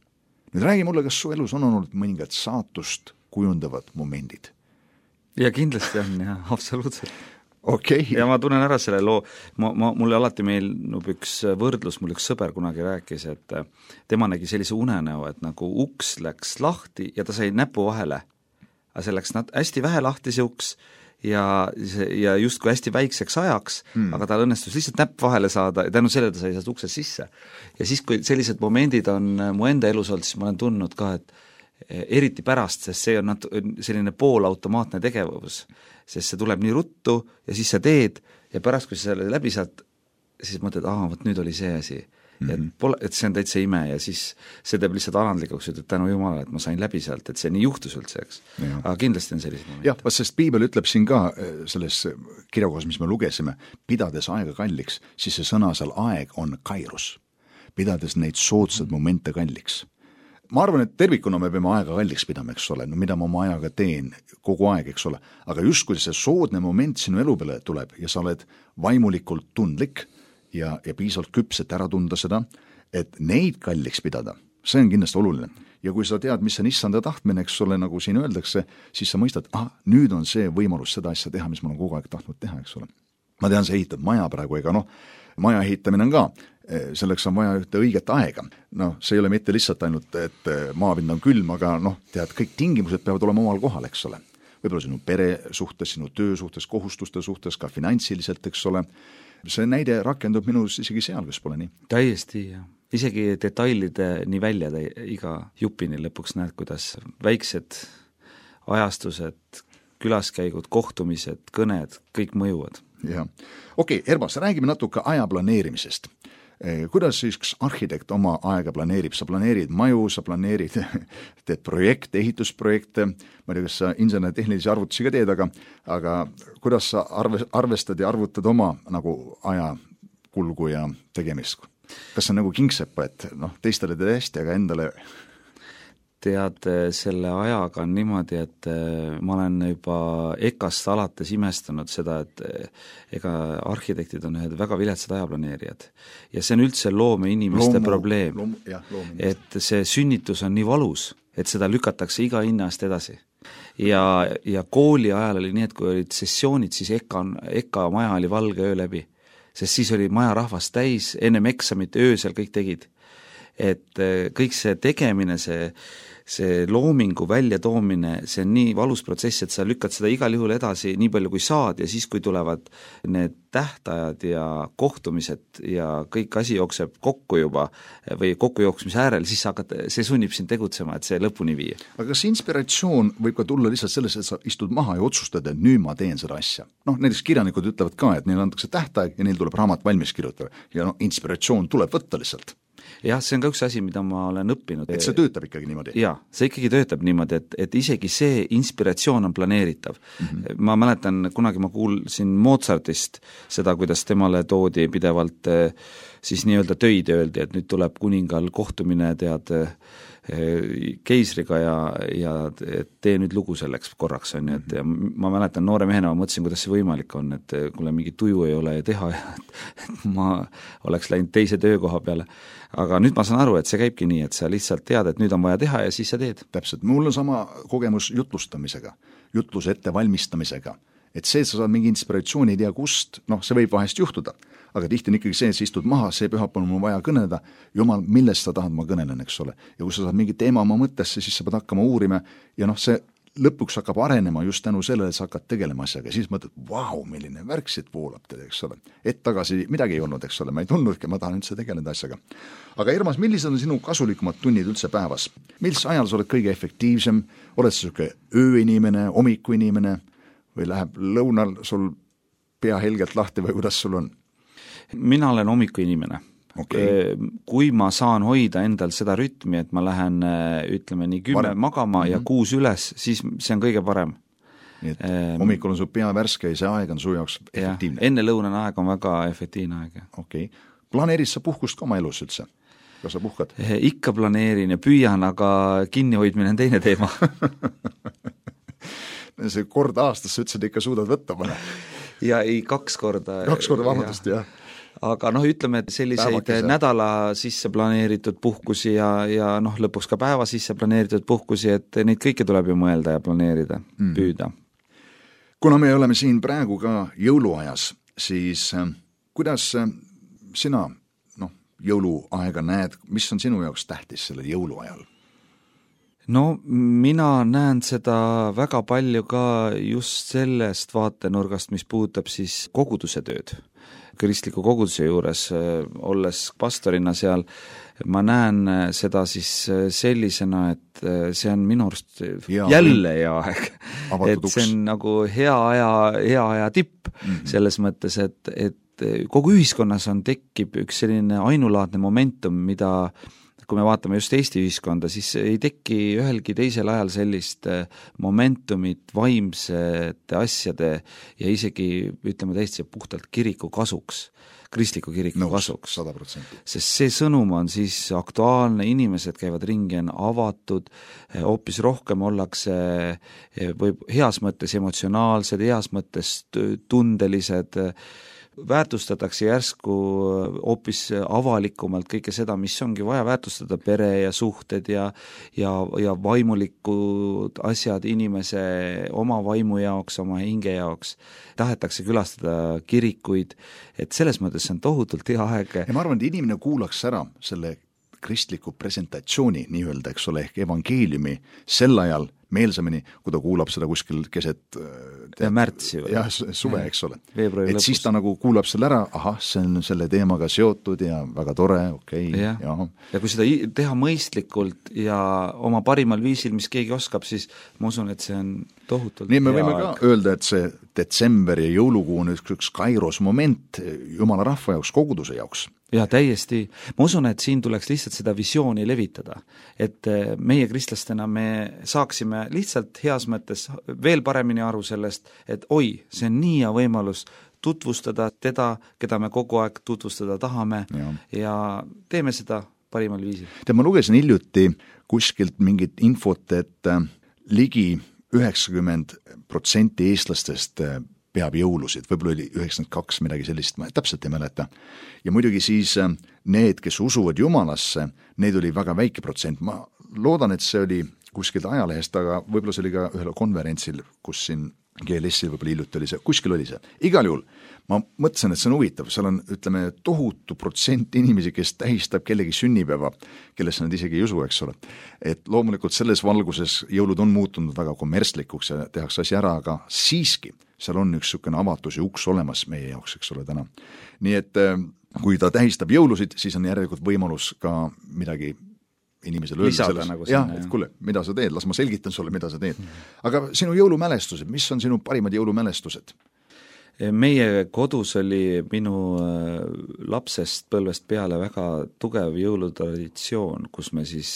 Nüüd räägi mulle, kas su elus on olnud mõningad saatust kujundavad momendid? Ja kindlasti on, jah, absoluutselt. Okay. Ja ma tunnen ära selle loo, ma, ma, mulle alati meenub üks võrdlus, mul üks sõber kunagi rääkis, et tema nägi sellise unenäo, et nagu uks läks lahti ja ta sai näpu vahele, aga see läks hästi vähe lahti see uks ja, ja justkui hästi väikseks ajaks, hmm. aga tal õnnestus lihtsalt näpp vahele saada ja tänu selle ta sai sealt uksest sisse. Ja siis, kui sellised momendid on mu enda elus olnud, siis ma olen tundnud ka, et eriti pärast, sest see on nat- selline poolautomaatne tegevus, sest see tuleb nii ruttu ja siis sa teed ja pärast, kui sa selle läbi saad, siis mõtled, aa, võt nüüd oli see asi. Mm-hmm. Et, pole, et see on täitsa ime ja siis see teeb lihtsalt alandlikuks, et tänu Jumala, et ma sain läbi sealt, et see nii juhtus üldse, eks. Aga kindlasti on sellised momendid. Jah, sest Piibel ütleb siin ka selles kirjakohas, mis me lugesime, pidades aega kalliks, siis see sõna seal aeg on kairos. Pidades neid soodsad momente kalliks. Ma arvan, et tervikuna me peame aega kalliks pidama, eks ole, no mida ma oma ajaga teen kogu aeg, eks ole, aga just kui see soodne moment sinu elu peale tuleb ja sa oled vaimulikult tundlik ja, ja piisavalt küpset ära tunda seda, et neid kalliks pidada, see on kindlasti oluline. Ja kui sa tead, mis on issanda tahtmine, eks ole, nagu siin öeldakse, siis sa mõistad, ah, nüüd on see võimalus seda asja teha, mis ma olen kogu aeg tahtnud teha, eks ole. Ma tean, sa ehitad maja praegu, ega noh, maja ehitamine on ka, selleks on vaja ühte õiget aega. No, see ei ole mitte lihtsalt ainult, et maapind on külm, aga noh, tead, kõik tingimused peavad olema omal kohal, eks ole. Võib-olla sinu pere suhtes, sinu töö suhtes, kohustuste suhtes, ka finantsiliselt, eks ole. See näide rakendub minus isegi seal, kes pole nii. Täiesti, jah. Isegi detailide nii välja iga jupini lõpuks näed, kuidas väiksed ajastused, külaskäigud, kohtumised, kõned, kõik mõjuvad. Jah. Okei, Ermas, räägime natuke aja planeerimisest. Kuidas siis üks arhitekt oma aega planeerib? Sa planeerid maju, sa planeerid teed projekte, ehitusprojekte, ma ei tea, kas sa insener-tehnilisi arvutusi ka teed, aga, aga kuidas sa arve, arvestad ja arvutad oma nagu aja kulgu ja tegemist? kas see on nagu kingsepa, et noh, teistele teed hästi, aga endale tead, selle ajaga on niimoodi, et ma olen juba EKA-st alates imestanud seda, et ega arhitektid on ühed väga viletsad ajaplaneerijad. Ja see on üldse loome inimeste loomu, probleem, loom, jah, et see sünnitus on nii valus, et seda lükatakse iga hinnast edasi. Ja, ja kooli ajal oli nii, et kui olid sessioonid, siis EKA, EKA maja oli valge öö läbi, sest siis oli maja rahvast täis, ennem eksamit öösel kõik tegid. Et kõik see tegemine, see see loomingu väljatoomine, see on nii valus protsess, et sa lükkad seda igal juhul edasi nii palju kui saad ja siis, kui tulevad need tähtajad ja kohtumised ja kõik asi jookseb kokku juba või kokkujooksmise äärel, siis sa hakkad, see sunnib sind tegutsema, et see lõpuni viia. Aga kas inspiratsioon võib ka tulla lihtsalt sellest, et sa istud maha ja otsustad, et nüüd ma teen seda asja? Noh, näiteks kirjanikud ütlevad ka, et neil antakse tähtaeg ja neil tuleb raamat valmis kirjutada ja noh, inspiratsioon tuleb võtta lihtsalt. Jah, see on ka üks asi, mida ma olen õppinud. Et see töötab ikkagi niimoodi? Jaa, see ikkagi töötab niimoodi, et, et isegi see inspiratsioon on planeeritav. Mm-hmm. Ma mäletan, kunagi ma kuulsin Mozartist seda, kuidas temale toodi pidevalt siis nii-öelda töid öeldi, et nüüd tuleb kuningal kohtumine tead keisriga ja, ja tee nüüd lugu selleks korraks on, et ja ma mäletan noore mehena, ma mõtlesin, kuidas see võimalik on, et kuule mingi tuju ei ole ja teha ja et ma oleks läinud teise töökoha peale. Aga nüüd ma saan aru, et see käibki nii, et sa lihtsalt tead, et nüüd on vaja teha ja siis sa teed. Täpselt, mul on sama kogemus jutlustamisega, jutluse ettevalmistamisega, et see, et sa saad mingi inspiratsiooni ei tea kust, noh, see võib vahest juhtuda, aga tihti on ikkagi see, et sa istud maha, see pühapäeval on mul vaja kõneleda, jumal, millest sa tahad, ma kõnelen, eks ole. Ja kui sa saad mingi teema oma mõttesse, siis sa pead hakkama uurima ja noh, see lõpuks hakkab arenema just tänu sellele, et sa hakkad tegelema asjaga, siis mõtled, vau, milline värk siit voolab tead, eks ole. Et tagasi midagi ei olnud, eks ole, ma ei tundnudki, ma tahan üldse tegeleda asjaga. Aga Ermas, millised on sinu kasulikumad tunnid üldse päevas? Millis ajal sa oled kõige efektiivsem? Oled sa selline ööinimene, hommikuinimene või läheb lõunal sul pea helgelt lahti või kuidas sul on? Mina olen hommikuinimene. Okay. Kui ma saan hoida endal seda rütmi, et ma lähen ütleme nii kümme Varem. magama mm-hmm. ja kuus üles, siis see on kõige parem. Nii et ehm, hommikul on su pea värske ja see aeg on su jaoks efektiivne. Enne lõunane aeg on väga efektiivne aeg. Okay. Planeerid sa puhkust ka oma elus üldse? Kas sa puhkad? Ikka planeerin ja püüan, aga kinnihoidmine on teine teema. See kord aastas sa ütlesid, ikka suudad võtta mõne? Ja ei, kaks korda. Kaks korda vabandust, jah. Aga noh, ütleme, et selliseid Päevakese. nädala sisse planeeritud puhkusi ja, ja noh, lõpuks ka päeva sisse planeeritud puhkusi, et neid kõike tuleb ju mõelda ja planeerida, mm. püüda. Kuna me oleme siin praegu ka jõuluajas, siis äh, kuidas äh, sina noh, jõuluaega näed, mis on sinu jaoks tähtis sellel jõuluajal? No mina näen seda väga palju ka just sellest vaatenurgast, mis puudutab siis koguduse tööd. Kristliku koguduse juures, olles pastorina seal, ma näen seda siis sellisena, et see on minu arust ja, jälle hea aeg. Et see on nagu hea aja, hea aja tipp mm-hmm. selles mõttes, et, et kogu ühiskonnas on, tekib üks selline ainulaadne momentum, mida kui me vaatame just Eesti ühiskonda, siis ei teki ühelgi teisel ajal sellist momentumit vaimsete asjade ja isegi, ütleme täiesti puhtalt kiriku kasuks, kristliku kiriku Nõus, kasuks. sada protsenti. Sest see sõnum on siis aktuaalne, inimesed käivad ringi, on avatud, hoopis rohkem ollakse või heas mõttes emotsionaalsed, heas mõttes tundelised, väärtustatakse järsku hoopis avalikumalt kõike seda, mis ongi vaja väärtustada, pere ja suhted ja, ja, ja vaimulikud asjad inimese oma vaimu jaoks, oma hinge jaoks. Tahetakse külastada kirikuid, et selles mõttes see on tohutult hea aeg. Ja ma arvan, et inimene kuulaks ära selle kristliku presentatsiooni, nii öelda, eks ole, ehk evangeeliumi sel ajal meelsamini, kui ta kuulab seda kuskil keset tead, märtsi või? Jah, suve, eks ole. Veebruari et lõpus. Siis ta nagu kuulab selle ära, ahah, see on selle teemaga seotud ja väga tore, okei okay,. Ja. Ja. ja kui seda teha mõistlikult ja oma parimal viisil, mis keegi oskab, siis ma usun, et see on tohutult nii me võime aeg. Ka öelda, et see detsember ja jõulukuu on üks, üks kairos moment jumala rahva jaoks, koguduse jaoks. Ja täiesti. Ma usun, et siin tuleks lihtsalt seda visiooni levitada, et meie kristlastena me saaksime lihtsalt heas mõttes veel paremini aru sellest, et oi, see on nii hea võimalus tutvustada teda, keda me kogu aeg tutvustada tahame ja, ja teeme seda parimal viisil. Tead, ma lugesin hiljuti kuskilt mingit infot, et ligi üheksakümmend protsenti eestlastest peab jõulusid, võib-olla oli üheksakümmend kaks midagi sellist, ma täpselt ei mäleta. Ja muidugi siis need, kes usuvad Jumalasse, need oli väga väike protsent. Ma loodan, et see oli kuskilt ajalehest, aga võib-olla see oli ka ühel konverentsil, kus siin G L S-il võib-olla hiljuti oli see, kuskil oli see. Igal juhul ma mõtlesin, et see on huvitav, seal on, ütleme, tohutu protsent inimesi, kes tähistab kellegi sünnipäeva, kellesse nad isegi ei usu, eks ole. Et loomulikult selles valguses jõulud on muutunud väga kommertslikuks ja tehakse asi ära, aga siiski seal on üks sükene avatus ja uks olemas meie jaoks, eks ole, täna. Nii et kui ta tähistab jõulusid, siis on järelikult võimalus ka midagi inimesele öelda selles. Nagu jah, et kuule, mida sa teed, las ma selgitan sulle, mida sa teed. Aga sinu jõulumälestused, mis on sinu parimad jõulumälestused? Meie kodus oli minu lapsest põlvest peale väga tugev jõulutraditsioon, kus me siis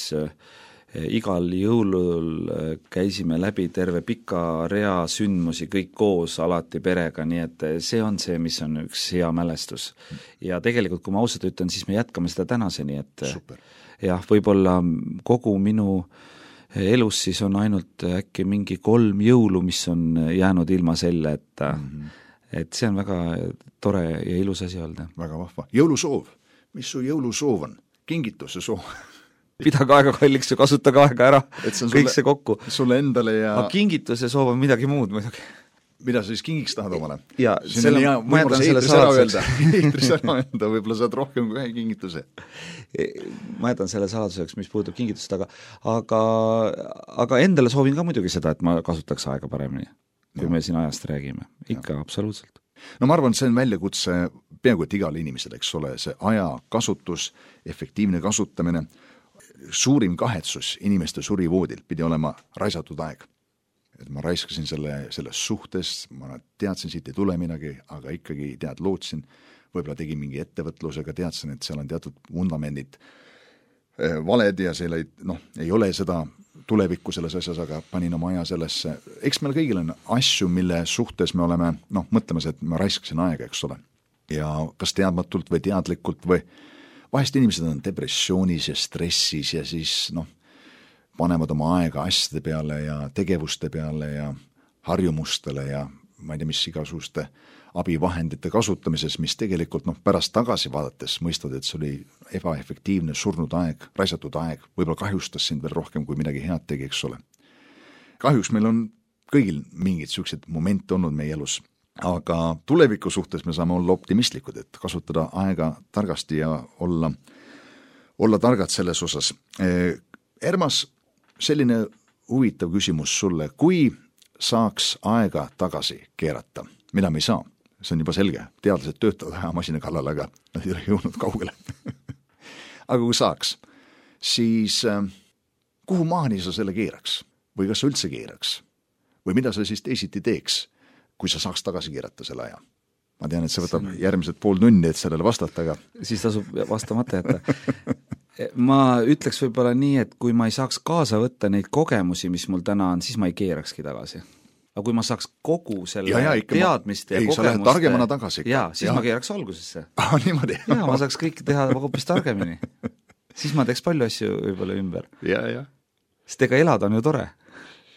igal jõulul käisime läbi terve pika rea sündmusi kõik koos alati perega, nii et see on see, mis on üks hea mälestus. Ja tegelikult, kui ma ausalt ütlen, siis me jätkame seda tänaseni, et super. Jah, võib-olla kogu minu elus siis on ainult äkki mingi kolm jõulu, mis on jäänud ilma selle, et, mm-hmm. et see on väga tore ja ilus asi öelda. Väga vahva. Jõulusoov. Mis su jõulusoov on? Kingituse soov? Pidage aega kalliks ja kasutage aega ära, kõik sulle, see kokku. Sulle endale ja... Aga kingituse soov on midagi muud muidugi. Mida sa siis kingiks tahad omale? Ja selle, ma jätan selle saladuseks. Eetris ära öelda, võib-olla saad rohkem kui ühe kingituse. Ma jätan selle saladuseks, mis puudub kingitust, aga, aga, aga endale soovin ka muidugi seda, et ma kasutaks aega paremini, kui ja. Me siin ajast räägime. Ikka, ja. Absoluutselt. No ma arvan, see on väljakutse peaaegu et igale inimesele, eks ole, see aja kasutus, efektiivne kasutamine, suurim kahetsus inimeste surivoodil pidi olema raisatud aeg. Et ma raiskasin selle, selles suhtes, ma teadsin, siit ei tule midagi, aga ikkagi tead, lootsin, võib-olla tegin mingi ettevõtlusega, teadsin, et seal on teatud vundamendid valed ja seal ei, noh, ei ole seda tulevikku selles asjas, aga panin oma aja sellesse. Eks meil kõigil on asju, mille suhtes me oleme, noh, mõtlemas, et ma raiskasin aega, eks ole. Ja kas teadmatult või teadlikult või vahest inimesed on depressioonis ja stressis ja siis, noh, panevad oma aega asjade peale ja tegevuste peale ja harjumustele ja ma ei tea, mis igasuguste abivahendite kasutamises, mis tegelikult noh, pärast tagasi vaadates mõistavad, et see oli ebaefektiivne, surnud aeg, raisatud aeg, võib-olla kahjustas sind veel rohkem, kui midagi head tegi, eks ole. Kahjuks meil on kõigil mingid sellised momente olnud meie elus, aga tuleviku suhtes me saame olla optimistlikud, et kasutada aega targasti ja olla, olla targad selles osas. Ermas, selline huvitav küsimus sulle, kui saaks aega tagasi keerata, mida me ei saa, see on juba selge, teadlased töötavad ajamasina kallal, aga nad ei ole jõudnud kaugele. Aga kui saaks, siis kuhu maani sa selle keeraks? Või kas sa üldse keeraks? Või mida sa siis teisiti teeks, kui sa saaks tagasi keerata selle aja? Ma tean, et see võtab järgmised pool tunni, et sellele vastata, aga... Siis tasub vastamata jätta. Ma ütleks võib-olla nii, et kui ma ei saaks kaasa võtta neid kogemusi, mis mul täna on, siis ma ei keerakski tagasi. Aga kui ma saaks kogu selle ja, ja, teadmiste ma... ja ei, kogemuste... targemana tagasi. Jaa, siis ja. Ma keeraks algusesse. Ah, niimoodi. Ja, ma saaks kõik teha hoopis targemini. Siis ma teeks palju asju võib-olla ümber. Ja, ja. Sest ega elada on ju tore.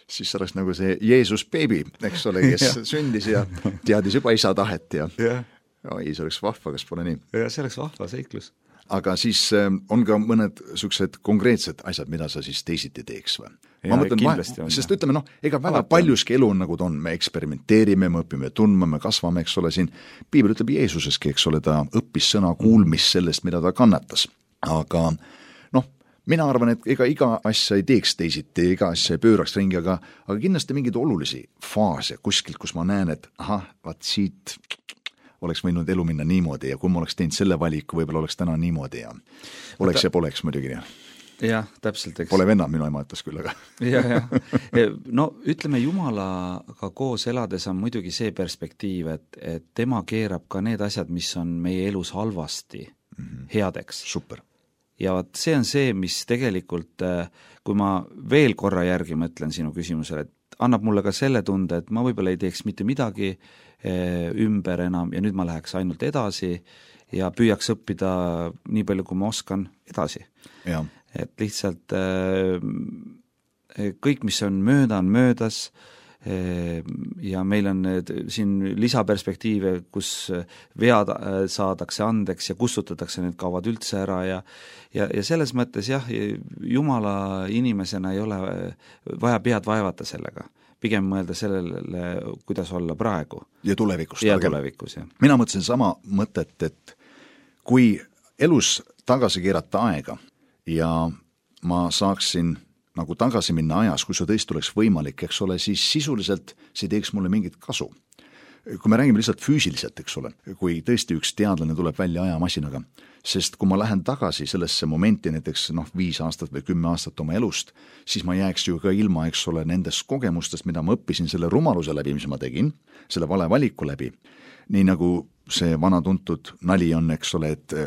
Siis oleks nagu see Jeesus beebi, eks ole, kes ja. Sündis ja teadis juba isa tahet ja, ja. Oi, see oleks vahva, kas pole nii? Ja see oleks vahva seiklus. Aga siis on ka mõned sellised konkreetsed asjad, mida sa siis teisiti teeks või? Ja, ma mõtlen, on, sest ütleme, noh, ega väga Alati paljuski elu on nagu ta on, me eksperimenteerime, me õpime tundma, me kasvame, eks ole, siin Piibel ütleb Jeesuseski, eks ole, ta õppis sõna kuulmist sellest, mida ta kannatas. Aga noh, mina arvan, et ega iga asja ei teeks teisiti, iga asja ei pööraks ringi, aga, aga kindlasti mingeid olulisi faase kuskilt, kus ma näen, et ahah, vaat siit oleks võinud elu minna niimoodi ja kui ma oleks teinud selle valiku, võib-olla oleks täna niimoodi ja oleks ja poleks muidugi. Jah, täpselt. Eks. Pole venna, minu ema ütles küll, aga. Ja, ja. No ütleme, Jumalaga koos elades on muidugi see perspektiiv, et, et tema keerab ka need asjad, mis on meie elus halvasti mm-hmm. headeks. Super. Ja see on see, mis tegelikult, kui ma veel korra järgi mõtlen sinu küsimusele, et annab mulle ka selle tunde, et ma võib-olla ei teeks mitte midagi ümber enam ja nüüd ma läheks ainult edasi ja püüaks õppida nii palju, kui ma oskan edasi. Et lihtsalt kõik, mis on mööda, on möödas ja meil on siin lisaperspektiive, kus vead saadakse andeks ja kustutatakse need kaovad üldse ära ja, ja, ja selles mõttes jah, Jumala inimesena ei ole vaja pead vaevata sellega. Pigem mõelda sellele, kuidas olla praegu. Ja tulevikus. Ja tulevikus, jah. Mina mõtlesin sama mõtet, et kui elus tagasi keerata aega ja ma saaksin nagu tagasi minna ajas, kui see tõesti oleks võimalik, eks ole, siis sisuliselt see teeks mulle mingit kasu. Kui me räägime lihtsalt füüsiliselt, eks ole, kui tõesti üks teadlane tuleb välja ajamasinaga, sest kui ma lähen tagasi sellesse momenti näiteks noh, viis aastat või kümme aastat oma elust, siis ma jääks ju ka ilma, eks ole, nendest kogemustest, mida ma õppisin selle rumaluse läbi, mis ma tegin, selle vale valiku läbi. Nii nagu see vana tuntud nali on, eks ole, et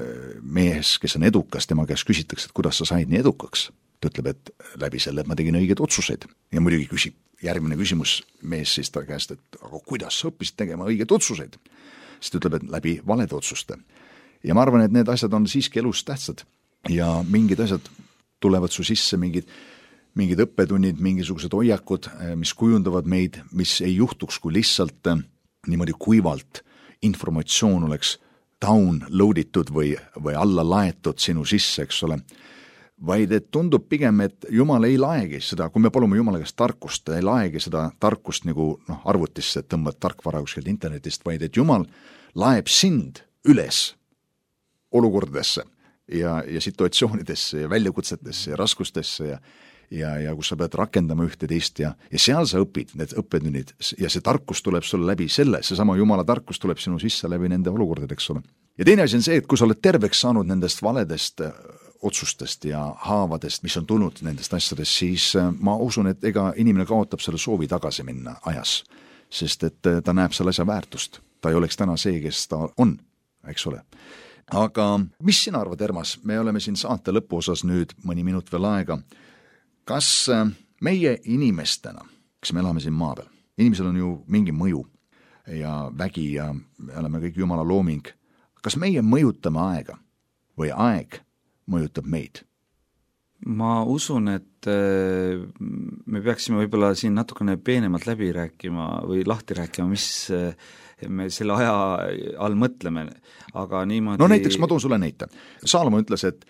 mees, kes on edukas, tema käest küsitakse, et kuidas sa said nii edukaks. Ta ütleb, et läbi selle, et ma tegin õiged otsuseid. Ja muidugi küsib järgmine küsimus mees siis ta käest, et aga kuidas sa õppisid tegema õiged otsuseid? Siis ta ütleb, et läbi valede otsuste. Ja ma arvan, et need asjad on siiski elus tähtsad ja mingid asjad tulevad su sisse, mingid, mingid õppetunnid, mingisugused hoiakud, mis kujundavad meid, mis ei juhtuks, kui lihtsalt niimoodi kuivalt informatsioon oleks downloaditud või, või alla laetud sinu sisse, eks ole, vaid et tundub pigem, et Jumal ei laegi seda, kui me palume Jumala käest tarkust, ei laegi seda tarkust nagu noh, arvutisse, et tõmbad tarkvara kuskilt internetist, vaid et Jumal laeb sind üles olukordadesse ja, ja situatsioonidesse ja väljakutsetesse ja raskustesse ja, ja, ja kus sa pead rakendama ühte teist ja, ja seal sa õpid need õppetunnid ja see tarkus tuleb sulle läbi selle, see sama Jumala tarkus tuleb sinu sisse läbi nende olukordad, eks ole. Ja teine asi on see, et kui sa oled terveks saanud nendest valedest otsustest ja haavadest, mis on tulnud nendest asjadest, siis ma usun, et ega inimene kaotab selle soovi tagasi minna ajas, sest et ta näeb selle asja väärtust. Ta ei oleks täna see, kes ta on, eks ole. Aga mis sina arvad, Ermas? Me oleme siin saate lõpuosas nüüd mõni minut veel aega. Kas meie inimestena, kes me elame siin maa peal, inimesel on ju mingi mõju ja vägi ja me oleme kõik Jumala looming, kas meie mõjutame aega või aeg mõjutab meid? Ma usun, et me peaksime võib-olla siin natukene peenemalt läbi rääkima või lahti rääkima, mis me selle aja all mõtleme, aga niimoodi... No näiteks ma toon sulle näite. Saalamo ütles, et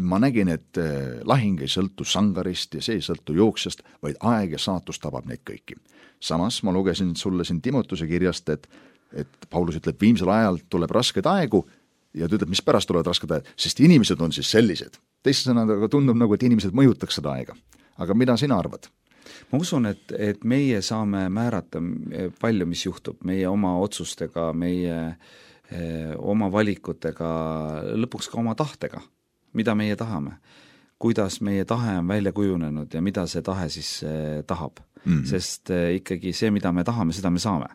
ma nägin, et lahing ei sõltu sangarist ja see ei sõltu jooksjast, vaid aeg ja saatus tabab neid kõiki. Samas ma lugesin sulle siin Timotuse kirjast, et, et Paulus ütleb, viimsel ajal tuleb raskeid aegu ja ta ütleb, mis pärast tulevad rasked ajad, sest inimesed on siis sellised. Teiste sõnadega tundub nagu, et inimesed mõjutaks seda aega. Aga mida sina arvad? Ma usun, et, et meie saame määrata palju, mis juhtub meie oma otsustega, meie eh, oma valikutega, lõpuks ka oma tahtega, mida meie tahame. Kuidas meie tahe on välja kujunenud ja mida see tahe siis eh, tahab. Mm-hmm. Sest eh, ikkagi see, mida me tahame, seda me saame.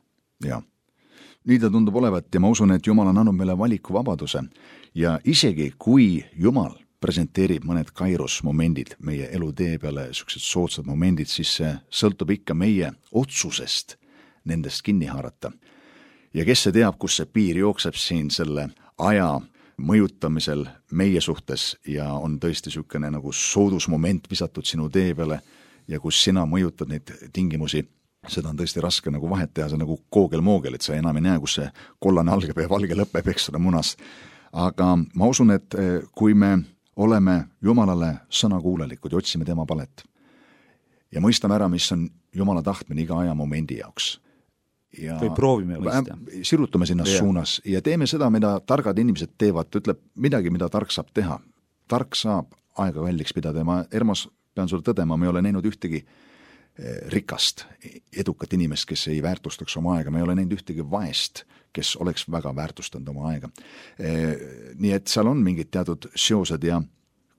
Jah. Nii ta tundub olevat ja ma usun, et Jumal on andnud meile valikuvabaduse ja isegi kui Jumal presenteerib mõned kairos momendid meie elutee peale, sellised soodsad momendid, siis see sõltub ikka meie otsusest nendest kinni haarata. Ja kes see teab, kus see piir jookseb siin selle aja mõjutamisel meie suhtes ja on tõesti niisugune nagu soodusmoment visatud sinu tee peale ja kus sina mõjutad neid tingimusi, seda on tõesti raske nagu vahet teha, see nagu koogel-moogel, et sa enam ei näe, kus see kollane algab ja valge lõpeb, eks ole, munas. Aga ma usun, et kui me oleme Jumalale sõnakuulelikud ja otsime tema palet ja mõistame ära, mis on Jumala tahtmine iga aja momendi jaoks. Ja või proovime mõista. Sirutame sinna yeah. suunas ja teeme seda, mida targad inimesed teevad, ütleb midagi, mida tark saab teha. Tark saab aega kalliks pidada ja ma, Ermas, pean sulle tõdema, me ei ole näinud ühtegi rikast, edukat inimest, kes ei väärtustaks oma aega, me ei ole näinud ühtegi vaest, kes oleks väga väärtustanud oma aega. Nii et seal on mingid teatud seosed ja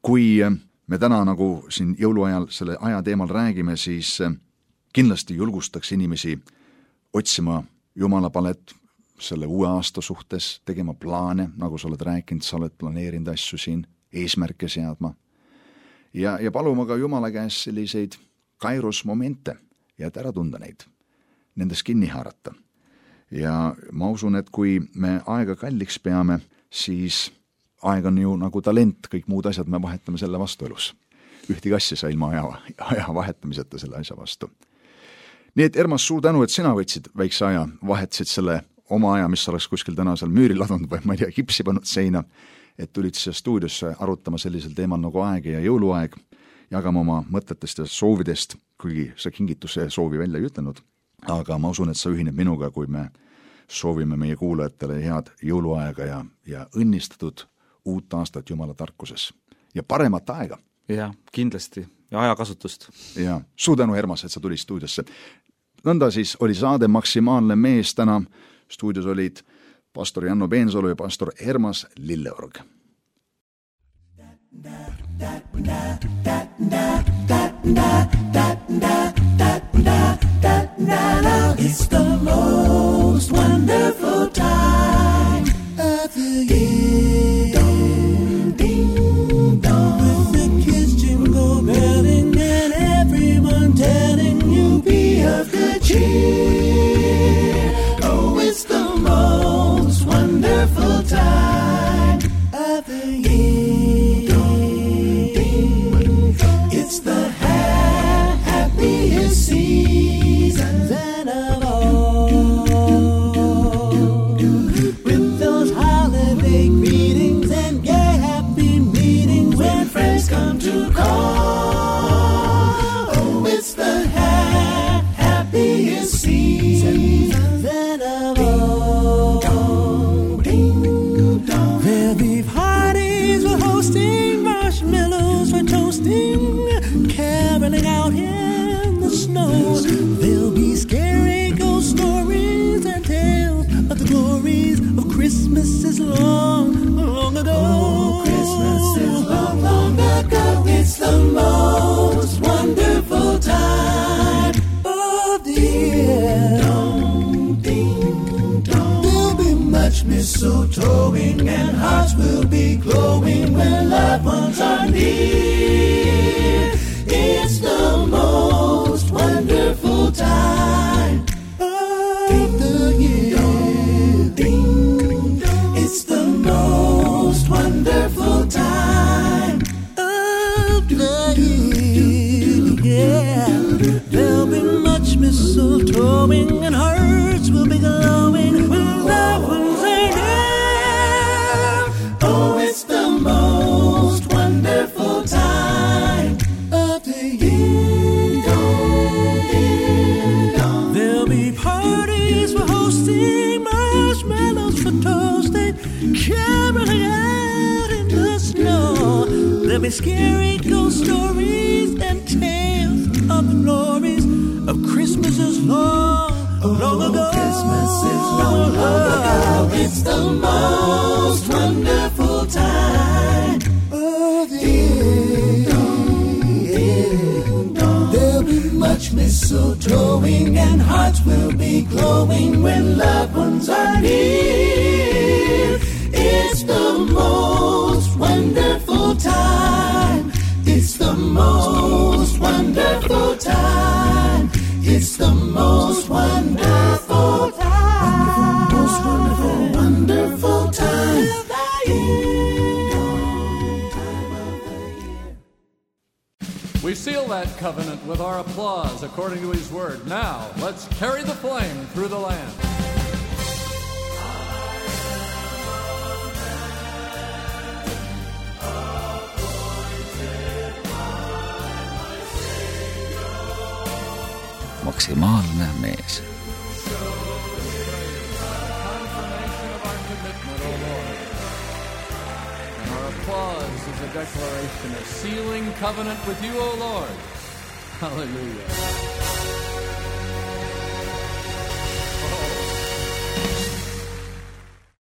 kui me täna nagu siin jõuluajal selle aja teemal räägime, siis kindlasti julgustaks inimesi otsima Jumala palet selle uue aasta suhtes, tegema plaane, nagu sa oled rääkinud, sa oled planeerinud asju siin, eesmärke seadma ja, ja paluma ka Jumala käest selliseid kairos momente ja et ära tunda neid, nendest kinni haarata. ja ma usun, et kui me aega kalliks peame, siis aeg on ju nagu talent, kõik muud asjad me vahetame selle vastu elus. Ühtegi asja sa ilma aja, aja vahetamiseta selle asja vastu. Nii et Ermas, suur tänu, et sina võtsid väikse aja, vahetasid selle oma aja, mis oleks kuskil täna seal müüri ladunud või ma ei tea, kipsi pannud seina, et tulid siia stuudiosse arutama sellisel teemal nagu aeg ja jõuluaeg, jagama oma mõtetest ja soovidest, kuigi sa kingituse soovi välja ei ütlenud. Aga ma usun, et sa ühined minuga, kui me soovime meie kuulajatele head jõuluaega ja, ja õnnistatud uut aastat Jumala tarkuses ja paremat aega. Ja, kindlasti. Ja ajakasutust. Ja, suur tänu, Ermas, et sa tulid stuudiosse. Nõnda siis oli saade Maksimaalne mees täna. Stuudios olid pastor Janno Peensalu ja pastor Ermas Lilleorg. It's the most wonderful time of the year. Ding, ding, dong. With the kids jingle belling and everyone telling you be of good cheer. Oh, it's the most wonderful time of the year. Ding, ding, dong. It's the ha- happiest season then of all. With those holiday greetings and gay happy meetings when friends come to call. Oh, it's the ha- happiest season then of all. There'll be parties for hosting, marshmallows for toasting, caroling out in the snow. There'll be scary ghost stories and tales of the glories of Christmases long, long ago. Oh, Christmas is long, long ago. It's the most wonderful time of the year. Dong, ding, dong. There'll be much mistletoeing and hearts will be glowing when loved ones are near. It's the most wonderful time of the year. Ding, dong. It's the most wonderful time of the year. Yeah. There'll be much mistletoeing and hearts will be glowing when loved ones are near. Oh, it's the most wonderful time of the year. There'll be parties for hosting, marshmallows for toasting, caroling out in the snow. There'll be scary ghost stories and tales of the glories of Christmases long, long ago. Christmas is long, long ago. It's the most wonderful time of the year. There'll be much mistletoeing and hearts will be glowing when loved ones are near. It's the most wonderful time. It's the most wonderful time. It's the most wonderful time. Most wonderful, wonderful time of the year. We seal that covenant with our applause according to his word. Now, let's carry the flame through the land. Maksimaalne mees. Confirmation of our commitment, O Lord. And our applause is a declaration of sealing covenant with you, O Lord. Hallelujah.